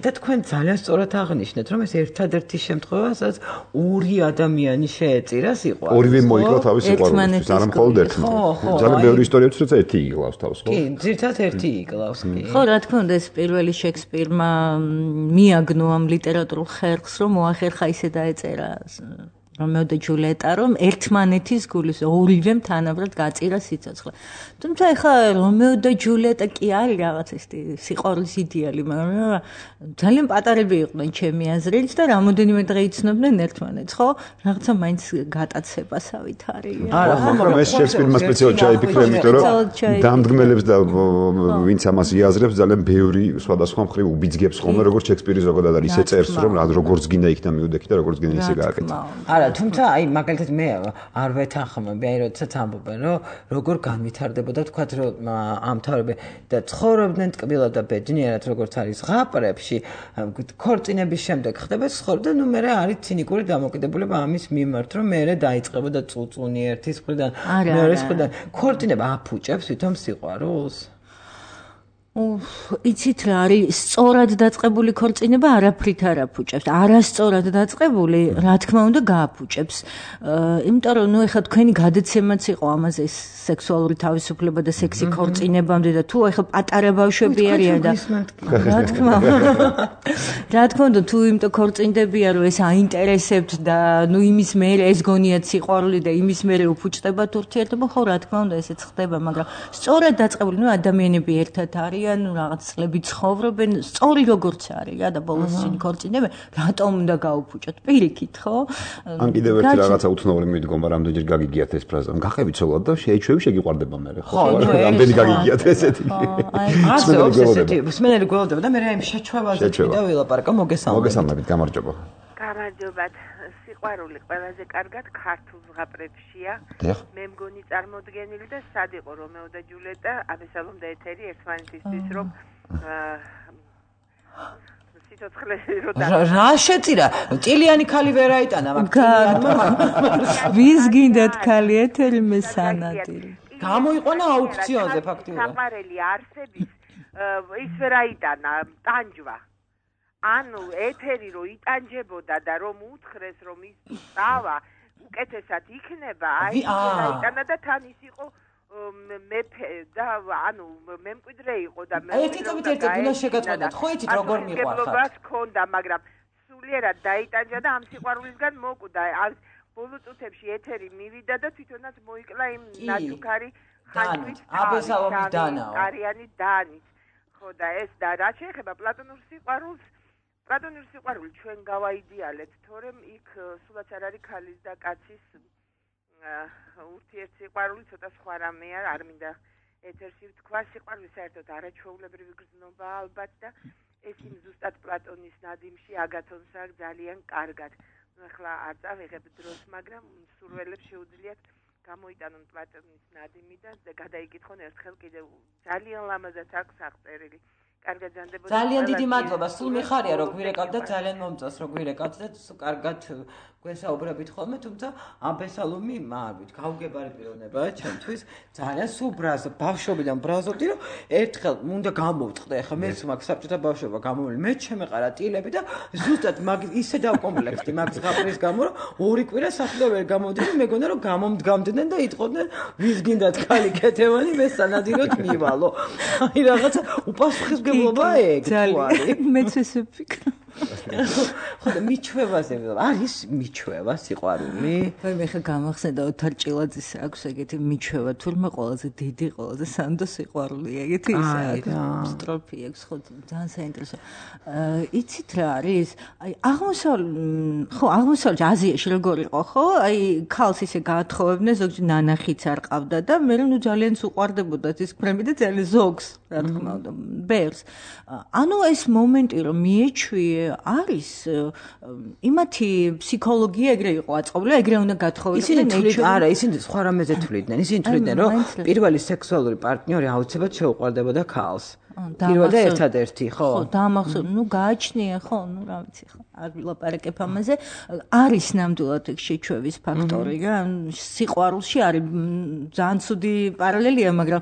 და თქვენ ძალიან სწორად აღნიშნეთ, რომ ეს ერთადერთი შემთხვევაა, სადაც ორი ადამიანი შეეწირა სიყვარულს. ორივე მოიკლა თავის სიყვარულს, არა მხოლოდ ერთმა. ძალიან ბევრი ისტორია თვითონ ერთი იგლავს თავს, ხო? კი, ძირითადად ერთი იგლავს, კი. ხო, რა თქმა უნდა, ეს პირველი შექსპირმა მიაგნო ამ ლიტერატურულ ხერხს, რომ მოახერხა ისე დაეწერა რომეო და ჯულიეტა, რომ ერთმანეთის გულის ორივემ თანაბრად გაწირა სიცოცხლე. თუმცა ეხლა რომეო და ჯულიეტა კი არის რაღაც ეს სიყვარულის იდეალი, მაგრამ ძალიან პატარები იყვნენ ჩემი აზრით და რამოდენიმე დღე იცნობდნენ ერთმანეთს, ხო? რაღაცა მაინც გატაცებასავით არის. არა, მაგრამ ეს შექსპირმა სპეციალურად ჩაიფიქრა, იმიტომ რომ დამდგმელებს და ვინც ამას იაზრებს ძალიან ბევრი სხვადასხვა მხრივ უბიძგებს ხოლმე, როგორც შექსპირი ზოგადად არის, ისე წერს, რომ როგორც გინდა იქნა მიუდექი და როგორც გინდა ისე გააკეთა. არა, თუმცა აი მაგალითად მე არ ვეთანხმები, აი როდესაც ამბობენ, რომ როგორ განვითარდებოდა თქვათ რომ ამთავრები და ცხოვრობდნენ ტკბილად და ბედნიერად როგორც არის ზღაპრებში, ქორწინების შემდეგ ხდება ცხოვრება და ნუ მე არის ცინიკური დამოკიდებულება ამის მიმართ, რომ მე დაიწყებოდა წუწუნი ერთის მხრიდან, მეორის მხრიდან. ქორწინება აფუჭებს თვითონ სიყვარულს? იცით რა არის სწორად დაწყებული ქორწინება არაფრით არ აფუჭებს. არასწორად დაწყებული, რა თქმა უნდა, გააფუჭებს. იმიტომ რომ ნუ ეხლა თქვენი გადაცემაც იყო ამაზე სექსუალური თავისუფლება და სექსი ქორწინებამდე და თუ ეხლა პატარა ბავშვები არიან და რა თქმა უნდა, რა თქმა უნდა, თუ იმიტომ ქორწინდებიან, რომ ეს აინტერესებთ და ნუ იმის მერე ეს გონიათ სიყვარული და იმის მერე უფუჭდებათ ურთიერთობა, ხო რა თქმა უნდა, ესეც ხდება, მაგრამ სწორად დაწყებული, ნუ ადამიანები ერთად არის ანუ რაღაც წლები ცხოვრობენ, სწორი როგორც არის რა და ბოლოს ისინი ქორწინებენ, რატომ უნდა გაუფუჭოთ? პირიქით, ხო? ან კიდევ ერთი რაღაცა უცნობი მიდგომა, რამდენჯერ გაგიგიათ ეს ფრაზა. გახები ცოლად და შეიჩვევი შეგიყვარდება მე, ხო? რამდენი გაგიგიათ ესეთი. ასე ესეთი, მსმენელი გველოდება და მე რა იმ შეჩვევაზე კიდევ ვილაპარაკო, მოგესალმებით. მოგესალმებით, გამარჯობა. გამარჯობათ. სიყვარული ყველაზე კარგად ქართულ ზღაპრებშია. მე მგონი წარმოდგენილი და სად იყო რომეო და ჯულიეტა, აბესალომ და ეთერი ერთმანეთისთვის რომ სიცოცხლე რო და რა შეწირა? ჭილიანი ქალი ვერ აიტანა მაგალითად. ვის გინდათ ქალი ეთერი მე სანადირი. გამოიყვანა აუქციონზე ფაქტიურად. საყვარელი არსების ის ვერ აიტანა ტანჯვა. ანუ ეთერი რო იტანჯებოდა და რომ უთხრეს რომ ის წავა უკეთესად იქნება, აი აიტანა და თან ის იყო მეფე და ანუ მემკვიდრე იყო და მე ერთი წობით ერთი გულა შეგაწყვეტათ, ხო იცით როგორ მიყვარხარ? მეგობრობას ჰქონდა, მაგრამ სულიერად დაიტანჯა და ამ სიყვარულისგან მოკვდა. ბოლო წუთებში ეთერი მივიდა და თვითონაც მოიკლა იმ ნაჩუქარი ხანჯვით აბესალომის დანაო. არიანი დანით. ხო და ეს და რა შეეხება პლატონურ სიყვარულს, პლატონურ სიყვარული ჩვენ გავაიდეალეთ, თორემ იქ სულაც არ არის ქალის და კაცის ურთიერთსიყვარული, ცოტა სხვა რამეა, არ მინდა ეთერსი თქვა სიყვარული საერთოდ არაჩვეულებრივი გრძნობა ალბათ და ეს იმ ზუსტად პლატონის ნადიმში აგათონს აქვს ძალიან კარგად. ნუ ახლა არ წავიღებ დროს, მაგრამ სურველებს შეუძლიათ გამოიტანონ პლატონის ნადიმი და გადაიკითხონ ერთხელ კიდევ ძალიან ლამაზად აქვს აღწერილი. კარგად ზანდებოდა. ძალიან დიდი მადლობა. სულ მიხარია რომ გვირეკავთ და ძალიან მომწონს რომ გვირეკავთ და კარგად გვესაუბრებით ხოლმე, თუმცა აბესალომი მაგით გაუგებარი პიროვნებაა ჩემთვის. ძალიან სულ ბრაზო, ბავშვობიდან ბრაზობდი რომ ერთხელ უნდა გამოვწყდე. ახლა მეც მაგ საბჭოთა ბავშვობა გამომული. მე ჩემეყარა ტილები და ზუსტად მაგ ისე დავკომპლექტდი მაგ ზღაპრის გამო რომ ორი კვირა სახლიდან ვერ გამოვდივი, მეგონა რომ გამომდგამდნენ და იტყოდნენ ვის გინდათ ქალი კეთევანი, მე სანადიროდ მივალო. აი რაღაცა უპასუხისმგებლობა ეგ თუ არის. მეც ესე ვფიქრობ. ხო და მიჩვევაზე არის მიჩვევა სიყვარული? აი მე ხა გამახსენდა ოთარ ჭილაძის აქვს ეგეთი მიჩვევა, თურმე ყველაზე დიდი, ყველაზე სანდო სიყვარული ეგეთი ის აქვს სტროფი აქვს, ხო ძალიან საინტერესო. იცით რა არის? აი აღმოსავლეთ ხო აღმოსავლეთ აზიაში როგორ იყო, ხო? აი ქალს ისე გაათხოვებდნენ, ზოგჯერ ნანახიც არ ყავდა და მე ნუ ძალიან უყვარდებოდა ის ფრემი და ძალიან ზოგს, რა თქმა უნდა, ბერს. ანუ ეს მომენტი რომ მიეჩვიე არის იმათი ფსიქოლოგია ეგრე იყო აწყობილი, ეგრე უნდა გათხოვებოდნენ. ისინი თვლით, არა, ისინი სხვა რამეზე თვლიდნენ. ისინი თვლიდნენ, რომ პირველი სექსუალური პარტნიორი აუცილებლად შეუყვარდებოდა ქალს. პირველ და ერთადერთი, ხო? ხო, დაამახსოვრე, ნუ გააჩნია, ხო, ნუ რა ვიცი, ხო. არ ვილაპარაკებ ამაზე. არის ნამდვილად ეგ შეჩვევის ფაქტორი რა. სიყვარულში არის ძალიან ცუდი პარალელია, მაგრამ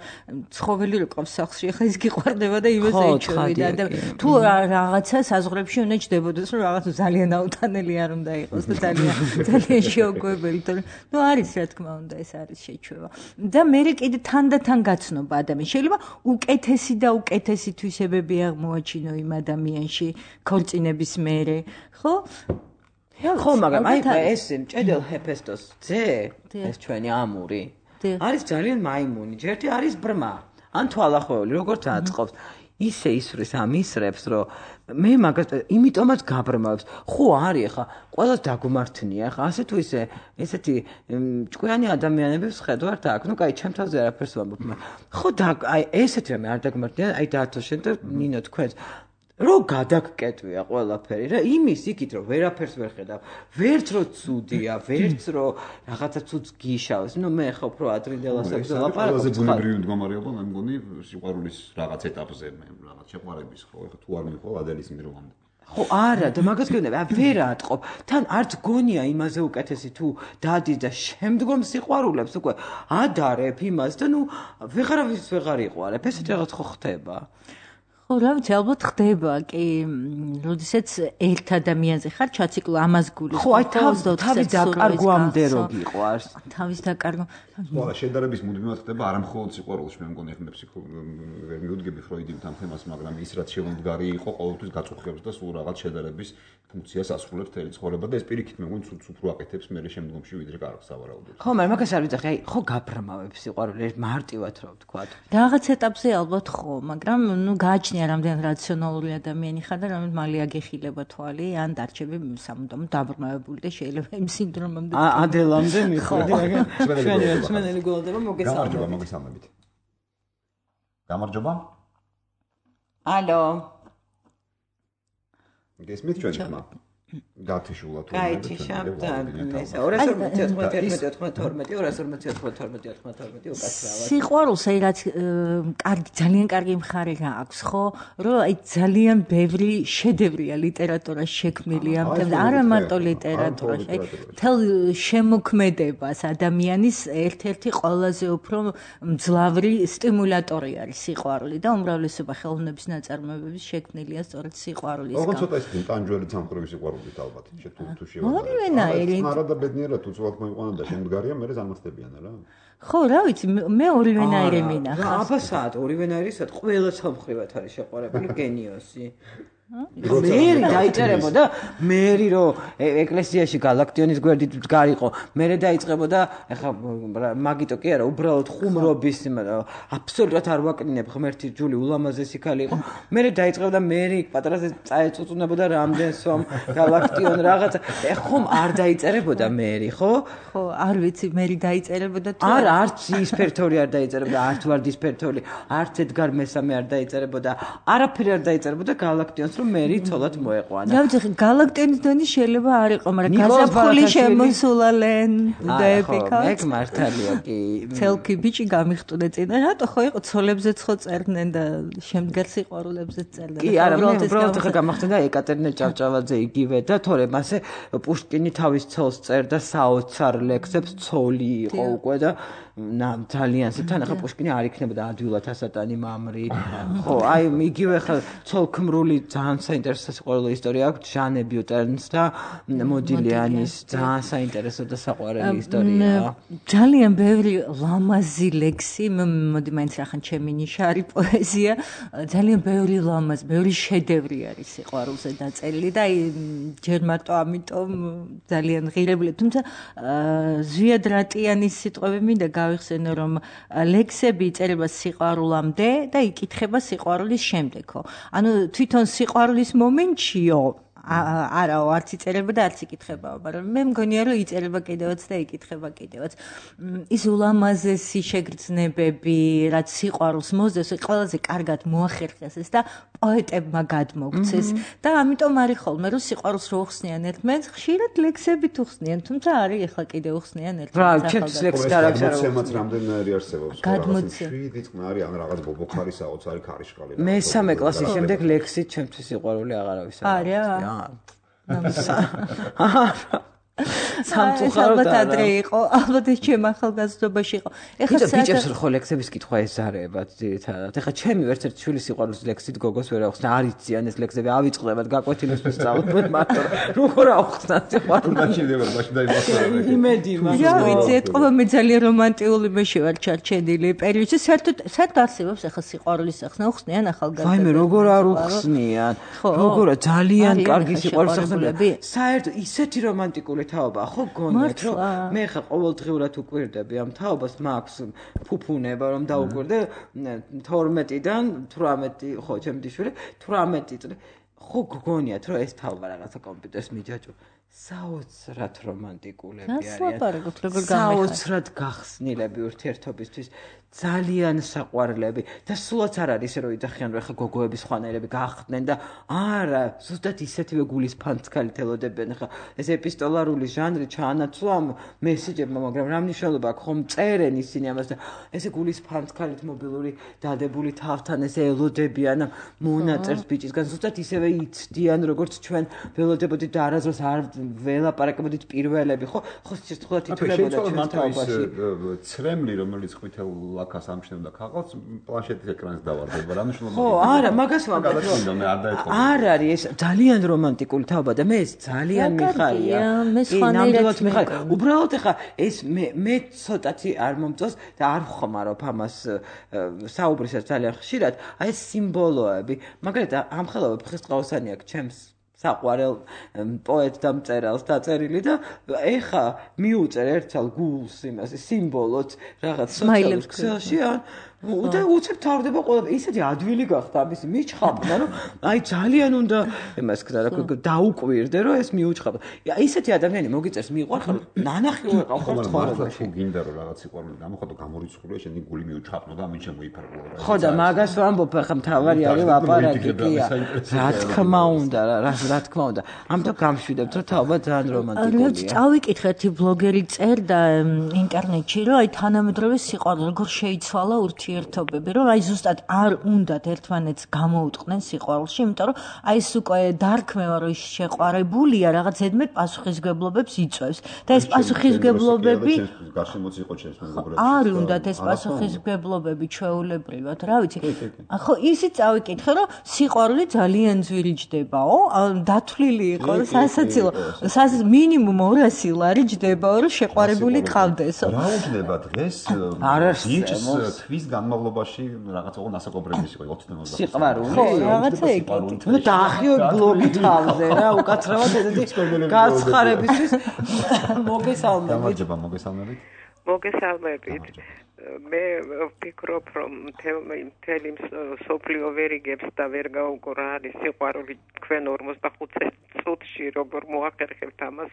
ცხოველი რო ყავს სახლში, ახლა ის გიყვარდება და იმას ეჩვევიდა და თუ რაღაცა საზღვრებში უნდა ჯდებოდეს, რომ რაღაც ძალიან აუტანელი არ უნდა იყოს და ძალიან ძალიან შეუკვებელი, თორემ ნუ არის რა თქმა უნდა, ეს არის შეჩვევა. და მე კიდე თანდათან გაცნობა ადამიანს. შეიძლება უკეთესი და უკეთესი თვისებები აღმოაჩინო იმ ადამიანში ქორწინების მერე, ხო? ხო, მაგრამ აი ეს მჭედელ ჰეფესტოს ძე, ეს ჩვენი ამური, არის ძალიან მაიმუნი, ჯერთი არის ბრმა, ან თვალახვეული, როგორც აწყობს. ისე ისრის ამ ისრებს, რომ მე მაგას იმიტომაც გაბრმავებს. ხო არის ხა, ყველას დაგმართნია ხა, ასე თუ ისე, ესეთი ჭკვიანი ადამიანების ხედავთ აქ. ნუ კაი, ჩემ თავზე არაფერს ვამბობ, მაგრამ ხო და აი ესეთი რამე არ დაგმართნია, აი დაათო შენ და ნინო თქვენს რო გადაგკეტვია ყველაფერი რა იმის იქით რომ ვერაფერს ვერ ხედავ ვერც რო ცუდია ვერც რო რაღაცა ცუდს გიშავს ნუ მე ხო უფრო ადრინდელასაც ლაპარაკობ ყველაზე ბუნებრივი მდგომარეობა მე მგონი სიყვარულის რაღაც ეტაპზე მე რაღაც შეყვარების ხო ეხლა თუ არ მიყვა ადელის მიროვამდე ხო არა და მაგას გეუბნები ვერ ატყობ თან არც გონია იმაზე უკეთესი თუ დადის და შემდგომ სიყვარულებს უკვე ადარებ იმას და ნუ ვეღარავის ვეღარ იყვარებ ესეთ რაღაც ხო ხდება ხო რა ვიცი ალბათ ხდება კი როდესაც ერთ ადამიანზე ხარ ჩაციკლო ამას გულის ხო აი თავის დაკარგვამდე რო გიყვარს თავის დაკარგვა ხო შედარების მუდმივად ხდება არა მხოლოდ სიყვარულში მე მგონი ახლა ფსიქოლოგია ვერ მიუდგები ფროიდის ამ თემას მაგრამ ის რაც შემდგარი იყო ყოველთვის გაწუხებს და სულ რაღაც შედარების ფუნქციას ასრულებს თელი ცხოვრება და ეს პირიქით მე მგონი ცუდ უფრო აკეთებს მე შემდგომში ვიდრე კარგს ავარაუდებს ხო მაგრამ მაგას არ ვიცი აი ხო გაბრმავებს სიყვარული მარტივად რო ვთქვა რაღაც ეტაპზე ალბათ ხო მაგრამ ნუ გააჩნია რამდენ რაციონალური ადამიანი ხარ და რამდენ მალე აგეხილება თვალი ან დარჩები სამუდამოდ დაბრმავებული და შეიძლება იმ სინდრომამდე ადელამდე მიხვდი მაგრამ ჩვენი რაციონალური გულდება მოგესალმებით გამარჯობა მოგესალმებით გამარჯობა ალო გესმით ჩვენი ხმა გათიშულა თუ გაითიშა და ესა ორას ორმოცდაოთხმეტი ორმოცდათორმეტი ორას ორმოცდათორმეტი ორმოცდათორმეტი უკაცრავად სიყვარულს აი რაც კარგი ძალიან კარგი მხარე რა აქვს ხო რომ აი ძალიან ბევრი შედევრია ლიტერატურაში შექმნილი ამ თემზე არა მარტო ლიტერატურაში აი თელ შემოქმედებას ადამიანის ერთ-ერთი ყველაზე უფრო მძლავრი სტიმულატორი არის სიყვარული და უმრავლესობა ხელოვნების ნაწარმოებების შექმნილია სწორედ სიყვარულის გამო. ოღონდ ცოტა ის ტანჯველი სამყაროების სიყვარული ალბათ შე თუ თუ შევარდა. ორივენაირი. არა და ბედნიერად თუ ცოლად მოიყვანა და შემდგარია მე ზარმასდებიან რა. ხო რა ვიცი მე ორივენაირი მინახავს. აბა საათ ორივენაირი საათ ყველა სამხრივად არის შეყვარებული გენიოსი. მერი დაიწერებოდა მერი რო ეკლესიაში გალაქტიონის გვერდით გარიყო მერე დაიწყებოდა ეხა მაგიტო კი არა უბრალოდ ხუმრობის აბსოლუტურად არ ვაკნინებ ღმერთი ჯული ულამაზესი ქალი იყო მერე დაიწყებოდა მერი პატრაზე წაეწუწუნებოდა რამდენს სვამ გალაქტიონ რაღაცა ხომ არ დაიწერებოდა მერი ხო ხო არ ვიცი მერი დაიწერებოდა თუ არა არც ისფერთორი არ დაიწერებოდა არც ვარდისფერთორი არც ედგარ მესამე არ დაიწერებოდა არაფერი არ დაიწერებოდა გალაქტიონს რომ მერი ცოლად მოეყვანა. დავიწყე გალაქტიონის დონის შეიძლება არ იყო, მაგრამ გაზაფხული შემოსულალენ დაეპიკა. ეგ მართალია კი. ცელკი ბიჭი გამიხტუნე წინა, რატო ხო იყო ცოლებზეც ხო წერდნენ და შემდგარ სიყვარულებზეც წერდნენ. კი, არა, მე უბრალოდ ხა გამახსენდა ეკატერინე ჭავჭავაძე იგივე და თორემ ასე პუშკინი თავის ცოლს წერდა საოცარ ლექსებს, ცოლი იყო უკვე და ნამ ძალიან თან ახლა პუშკინი არ იქნებოდა ადვილად ასატანი მამრი. ხო, აი იგივე ხა ცოლქმრული ძალიან საინტერესო სიყვარულო ისტორია აქვს ჟანე ბიუტენს და მოდილიანის ძალიან საინტერესო და საყვარელი ისტორია. ძალიან ბევრი ლამაზი ლექსი, მოდი მაინც რახან ჩემი ნიშა არის პოეზია, ძალიან ბევრი ლამაზ, ბევრი შედევრი არის სიყვარულზე დაწერილი და აი ჯერ მარტო ამიტომ ძალიან ღირებული, თუმცა ზვიად რატიანის სიტყვები მინდა გავიხსენო, რომ ლექსები იწერება სიყვარულამდე და იკითხება სიყვარულის შემდეგო. ანუ თვითონ სიყვარულის მომენტშიო არაო არც იწერება და არც იკითხებაო, მაგრამ მე მგონია რომ იწერება კიდევაც და იკითხება კიდევაც. ის ულამაზესი შეგრძნებები, რაც სიყვარულს მოსდევს, ყველაზე კარგად მოახერხეს ეს და პოეტებმა გადმოგცეს და ამიტომ არის ხოლმე რომ სიყვარულს რო უხსნიან ერთმანეთს, ხშირად ლექსებით უხსნიან, თუმცა არის ახლა კიდევ უხსნიან ერთმანეთს. რა, ჩემთვის ლექსი და რაღაცა გამოცემაც რამდენიერი არსებობს, რაღაცა შვიდი წყნარი ან რაღაც ბობოქარი საოცარი ქარიშკალი. მესამე კლასის შემდეგ ლექსით ჩემთვის სიყვარული აღარავის არ არის. არა. სამწუხაროდ ადრე იყო, ალბათ ეს ჩემ ახალგაზრდობაში იყო. ეხლა ბიჭებს ხო ლექსების კითხვა ეზარებათ ძირითადად. ეხლა ჩემი ვერცერთი შვილი სიყვარულის ლექსით გოგოს ვერ აუხსნა, არ იციან ეს ლექსები, ავიწყდებათ გაკვეთილებს ვისწავლობთ მარტო. როგორ აუხსნათ სიყვარულს? გაჩნდება მაშინ დაიმახსოვრე. იმედი მაქვს. რა ვიცი, ეთყობა მე ძალიან რომანტიკული მეში ვარ ჩარჩენილი პერიოდში, საერთოდ საერთოდ არსებობს ახლა სიყვარულის სახსნა უხსნიან ახალგაზრდებს. ვაიმე, როგორ არ უხსნიან? როგორ ძალიან კარგი სიყვარულის სახსნები. საერთოდ ისეთი რომანტიკული თაობა ხო გონიათ რომ მე ხა ყოველდღიურად უკვირდები ამ თაობას მაქვს ფუფუნება რომ დაუკვირდე თორმეტიდან თვრამეტი ხო ჩემი შვილი თვრამეტი წელი ხო გონიათ რომ ეს თაობა რაღაცა კომპიუტერს მიჯაჭვ საოცრად რომანტიკულები არიან საოცრად გახსნილები ურთიერთობისთვის ძალიან საყვარლები და სულაც არ არის რომ იძახიან რომ ხა გოგოების ხვანერები გახდნენ და არა ზუსტად ისეთივე გულის ფანცქალი თელოდებიან ხა ეს ეპისტოლარული ჟანრი ჩაანაცვლა მესიჯებმა მაგრამ რა მნიშვნელობა აქვს ხომ წერენ ისინი ამას და ესე გულის ფანცქალით მობილური დადებული თავთან ესე ელოდებიან მონაწერს ბიჭისგან ზუსტად ისევე იცდიან როგორც ჩვენ ველოდებოდით და არასდროს არ ველაპარაკებოდით პირველები ხო ხო სიცხვილად ითვლებოდა ჩვენ თაობაში ცრემლი რომელიც ყვითელ ლაქას ამშნევდა ქაღალდს პლანშეტის ეკრანს დავარდება რა მნიშვნელობა ხო არა მაგას ვამბობ არ არის ეს ძალიან რომანტიკული თაობა და მე ეს ძალიან მიხარია კი ნამდვილად მიხარია უბრალოდ ეხა ეს მე მე ცოტათი არ მომწონს და არ ვხმარობ ამას საუბრისას ძალიან ხშირად აი ეს სიმბოლოები მაგალითად ამ ხელოვებ ხესტყაოსანი აქვს ჩემს საყვარელ პოეტ და მწერალს დაწერილი და ეხა მიუწერ ერთალ გულს იმას სიმბოლოც რაღაც სოციალურ ქსელში და უცებ თავდება ყველა ისეთი ადვილი გახდა ამისი მიჩხაბდა რომ აი ძალიან უნდა იმას ქნა რა დაუკვირდე რომ ეს მიუჩხაბდა ისეთი ადამიანი მოგიწერს მიყვარხარ ნანახი ვეყავ ხო ცხოვრებაში ხო გინდა რომ რაღაც სიყვარული გამოხატო გამორიცხულია შენი გული მიუჩხაბნო და ამით შემოიფარგლო რა ხო და მაგას ვამბობ ახლა მთავარი არის ლაპარაკი კია რა თქმა უნდა რა რა თქმა უნდა ამიტომ გამშვიდებთ რომ თაობა ძალიან რომანტიკულია რა წავიკითხე ერთი ბლოგერი წერდა ინტერნეტში რომ აი თანამედროვე სიყვარული როგორ შეიცვალა ურთიერთობები რომ აი ზუსტად არ უნდათ ერთმანეთს გამოუტყნენ სიყვარულში იმიტომ რომ აი ეს უკვე დარქმევა რომ შეყვარებულია რაღაც ზედმეტ პასუხისგებლობებს იწვევს და ეს პასუხისგებლობები გაშემოც იყო ჩემს მეგობრებს არ უნდათ ეს პასუხისგებლობები ჩვეულებრივად რა ვიცი ხო ისიც წავიკითხე რომ სიყვარული ძალიან ძვირიჯდებაო დათვლილი იყო რომ სასაცილო მინიმუმ ორასი ლარი ჯდებაო რომ შეყვარებული ყავდესო რა უჯდება დღეს ბიჭს თვის განმავლობაში რაღაცა ოღონდ ასაკობრივი იყო ოცდაათი ოცდაათი. სიყვარული. ხო, რაღაცა ეგეთი. ნუ დაახიო ბლოგი თავზე რა, უკაცრავად ესეთი გაცხარებისთვის მოგესალმებით. გამარჯობა, მოგესალმებით. მოგესალმებით. მე ვფიქრობ, რომ მთელი სოფლიო ვერ იგებს და ვერ გაუგო რა არის სიყვარული თქვენ ორმოცდახუთი წუთში როგორ მოახერხებთ ამას.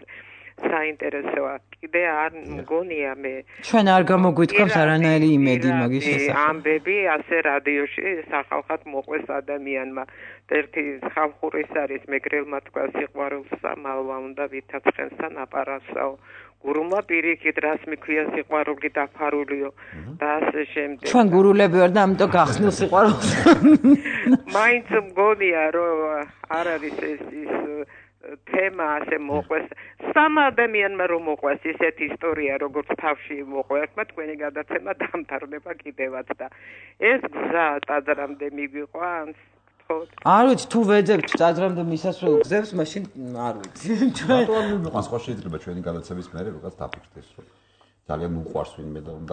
საინტერესოა. კიდე არ მგონია მე. ჩვენ არ გამოგვითხავს არანაირი იმედი მაგის შესახებ. ამბები ასე რადიოში სახალხად მოყვეს ადამიანმა. ერთი ხალხურის არის მეგრელმა თქვა სიყვარულსა მალვა უნდა ვითაცხენსა ნაპარასაო. გურუმა პირიქით რას მიქვია სიყვარული დაფარულიო და ასე შემდეგ. ჩვენ გურულები ვარ და ამიტომ გახსნილ სიყვარულს. მაინც მგონია რომ არ არის ეს ის თემა ასე მოყვეს სამ ადამიანმა რომ მოყვეს ისეთი ისტორია როგორც თავში მოყვება თქვენი გადაცემა დამთავრდება კიდევაც და ეს გზა ტაძრამდე მიგვიყვანს არ ვიცი თუ ვეძებთ ტაძრამდე მისასვლელ გზებს მაშინ არ ვიცი ჩვენ ვიყვანს ხო შეიძლება ჩვენი გადაცემის მერე რაღაც დაფიქრდეს რომ ძალიან უყვარს ვინმე და უნდა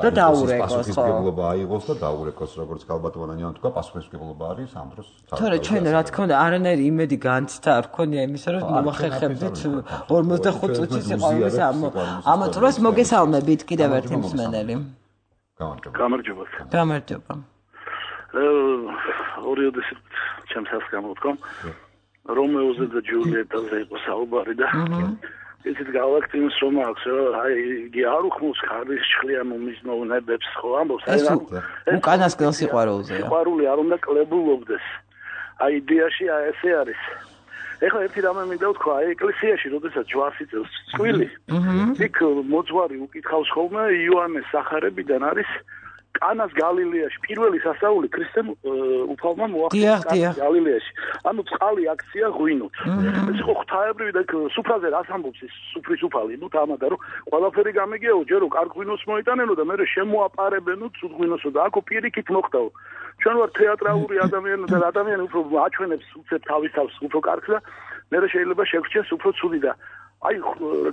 პასუხისმგებლობა აიღოს და დაურეკოს როგორც გალბატონიანმა თქვა პასუხისმგებლობა არის ამ დროს თორე ჩვენ რა თქმა უნდა არანაირი იმედი განცდა არ ქონია იმისა რომ მომახერხებდით ორმოცდახუთი წუთის სიყვარულის ამ წროს მოგესალმებით კიდევ ერთი მსმენელი გამარჯობა გამარჯობა გამარჯობა ორიოდეს ჩემს გამოთქო რომეოზე და ჯულიეტაზე იყო საუბარი და ისეთ გავაკეთებს რომ აქვს აი იგი არ უხმობს ხარის შხლიან უმიზნოვნებებს ხო ამბობს ეს უკანასკნელ სიყვარულზეა სიყვარული არ უნდა კლებულობდეს აი იდეაში აი ესე არის ეხლა ერთი რამე მინდა ვთქვა აი ეკლესიაში როდესაც ჯვარს იწევს წყვილი იქ მოძღვარი უკითხავს ხოლმე იოანეს სახარებიდან არის კანას გალილეაში პირველი სასწაული ქრისტემ უფალმა მოახდინა გალილეაში. ანუ წყალი აქცია ღვინოთ. ეს ხო ღვთაებრივი და სუფრაზე რას ამბობს ეს სუფრის უფალი? ნუ თამადა რომ ყველაფერი გამიგეო, ჯერო კარგ ღვინოს მოიტანენო და მე შემოაპარებენო ცუდ ღვინოსო და აქო პირიქით მოხდაო. ჩვენ ვარ თეატრალური ადამიანი და ადამიანი უფრო აჩვენებს უცებ თავის თავს უფრო კარგს და მე შეიძლება შეგვჩენს უფრო ცუდი და აი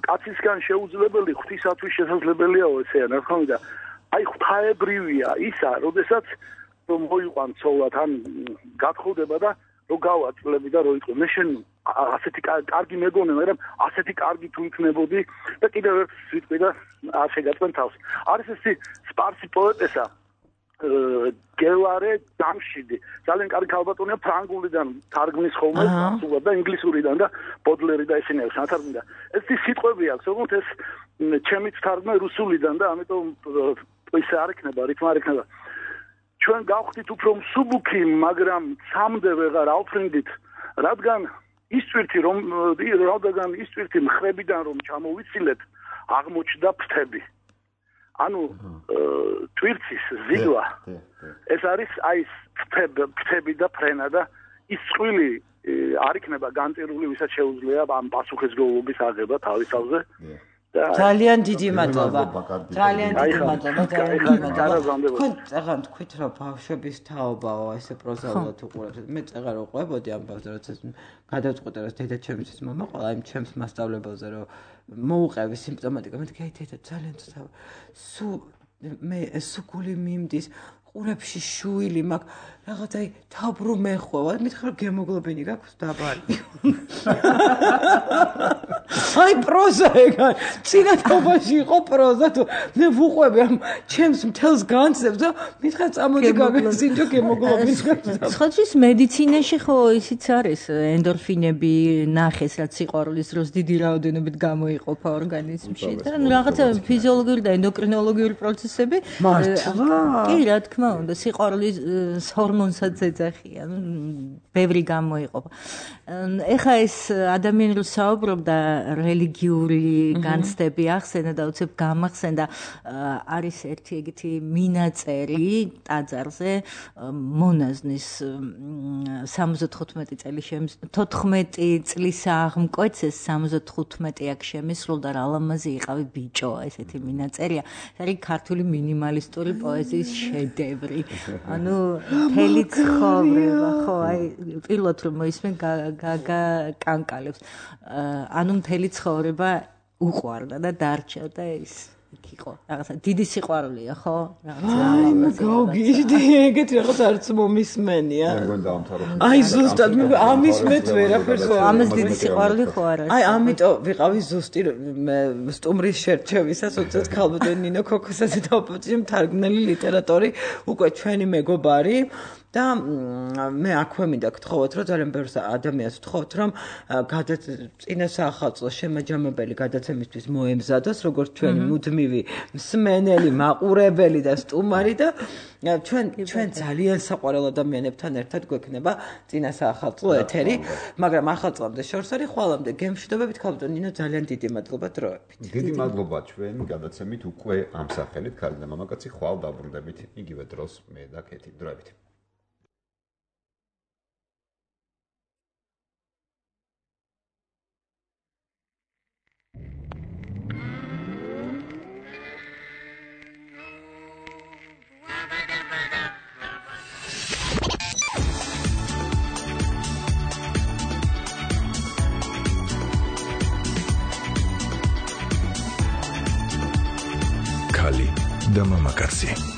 კაცისგან შეუძლებელი ღვთისათვის შესაძლებელიაო ესეა ნახავი და აი ღვთაებრივია ისა, როდესაც რომ მოიყვან ცოლად ან გათხოვდება და რო გავაწლები და რო იყო მე შენ ასეთი კარგი მეგონე, მაგრამ ასეთი კარგი თუ იქნებოდი და კიდევ ერთ სიტყვი და არ შეგაწმენ თავს. არის ეს სპარსი პოეტესა გელარე დამშიდი. ძალიან კარგი ქალბატონია ფრანგულიდან თარგმნის ხოლმე სულად და ინგლისურიდან და ბოდლერი და ესენი აქვს ათარგმნა. ეს სიტყვები აქვს, თუმცა ეს ჩემიც თარგმნა რუსულიდან და ამიტომ ისე არ იქნება, რითმა არ იქნება. ჩვენ გავხდით უფრო მსუბუქი, მაგრამ სამდე ვეღარ ავფრინდით, რადგან ის წვირთი რომ რადგან ის წვირთი მხრებიდან რომ ჩამოვიცილეთ, აღმოჩნდა ფრთები. ანუ ტვირთის ზიგლა ეს არის აი ფრთები და ფრენა და ის წვილი არ იქნება განწერული, ვისაც შეუძლია ამ პასუხისმგებლობის აღება თავის თავზე. ძალიან დიდი მადლობა. ძალიან დიდი მადლობა, ძალიან დიდი მადლობა. თქვენ წაღან თქვით რომ ბავშვების თაობაო, ესე პროზაულად უყურებთ. მე წაღარ უყურებოდი ამ ბავშვს, როცა გადავწყვეტე რომ დედა ჩემთვის მამა ყველა იმ ჩემს მასწავლებელზე რომ მოუყევი სიმპტომატიკა. მე თქვი აი დედა ძალიან ცოტა სუ მე სუგული მიმდის ყურებში შუილი მაქვს რაღაც აი თაბრუ მეხვევა მითხრა გემოგლობინი გაქვს დაბალი აი პროზა ეგა წინათობაში იყო პროზა თუ მე ვუყვები ამ ჩემს მთელს განცდებს და მითხრა წამოდი გაგასინჯო გემოგლობინს ხოჩის მედიცინაში ხო ისიც არის ენდორფინები ნახეს რაც სიყვარულის დროს დიდი რაოდენობით გამოიყოფა ორგანიზმში და რაღაცა ფიზიოლოგიური და ენდოკრინოლოგიური პროცესები კი რა თქმა უნდა სიყვარულის ჰორმონსაც ეძახიან ბევრი გამოიყოფა ეხა ეს ადამიანი რო საუბრობდა რელიგიური განცდები ახსენა და უცებ გამახსენდა არის ერთი ეგეთი მინაწერი ტაძარზე მონაზნის სამოცდათხუთმეტი წელი თოთხმეტი წლის აღმკვეთს სამოცდათხუთმეტი აქ შემისრულდა რა ლამაზი იყავი ბიჭო ესეთი მინაწერია არის ქართული მინიმალისტური პოეზიის შედევრი ანუ მთელი ცხოვრება ხო აი პირველად რომ მოისმენ გაგაკანკალებს ანუ მთელი ცხოვრება უყვარდა და დარჩა და ის იქ იყო. რაღაცა დიდი სიყვარულია, ხო? რაღაცა. გავგიჟდი, ეგეთი რაღაც არც მომისმენია. მე მგონი დაამთავრე. აი ზუსტად მე ამის მეც ვერაფერს ამას დიდი სიყვარული ხო არ არის. აი ამიტომ ვიყავი ზუსტი სტუმრის შერჩევისას უცებ ქალბატონ ნინო ქოქოსაძე დაუპოჭი მთარგმნელი ლიტერატორი უკვე ჩვენი მეგობარი და მე აქვე მინდა გთხოვოთ რომ ძალიან ბევრ ადამიანს ვთხოვოთ რომ წინა საახალწლო შემაჯამებელი გადაცემისთვის მოემზადოს როგორც ჩვენი მუდმივი მსმენელი, მაყურებელი და სტუმარი და ჩვენ ჩვენ ძალიან საყვარელ ადამიანებთან ერთად გვექნება წინა საახალწლო ეთერი, მაგრამ ახალწლამდე შორს არის ხვალამდე გემშვიდობებით ქალბატონ ნინო ძალიან დიდი მადლობა დროებით. დიდი მადლობა ჩვენ გადაცემით უკვე ამ სახელით ქალი და მამაკაცი ხვალ დაბრუნდებით იგივე დროს მე და კეთი დროებით. Kali da mama kasi.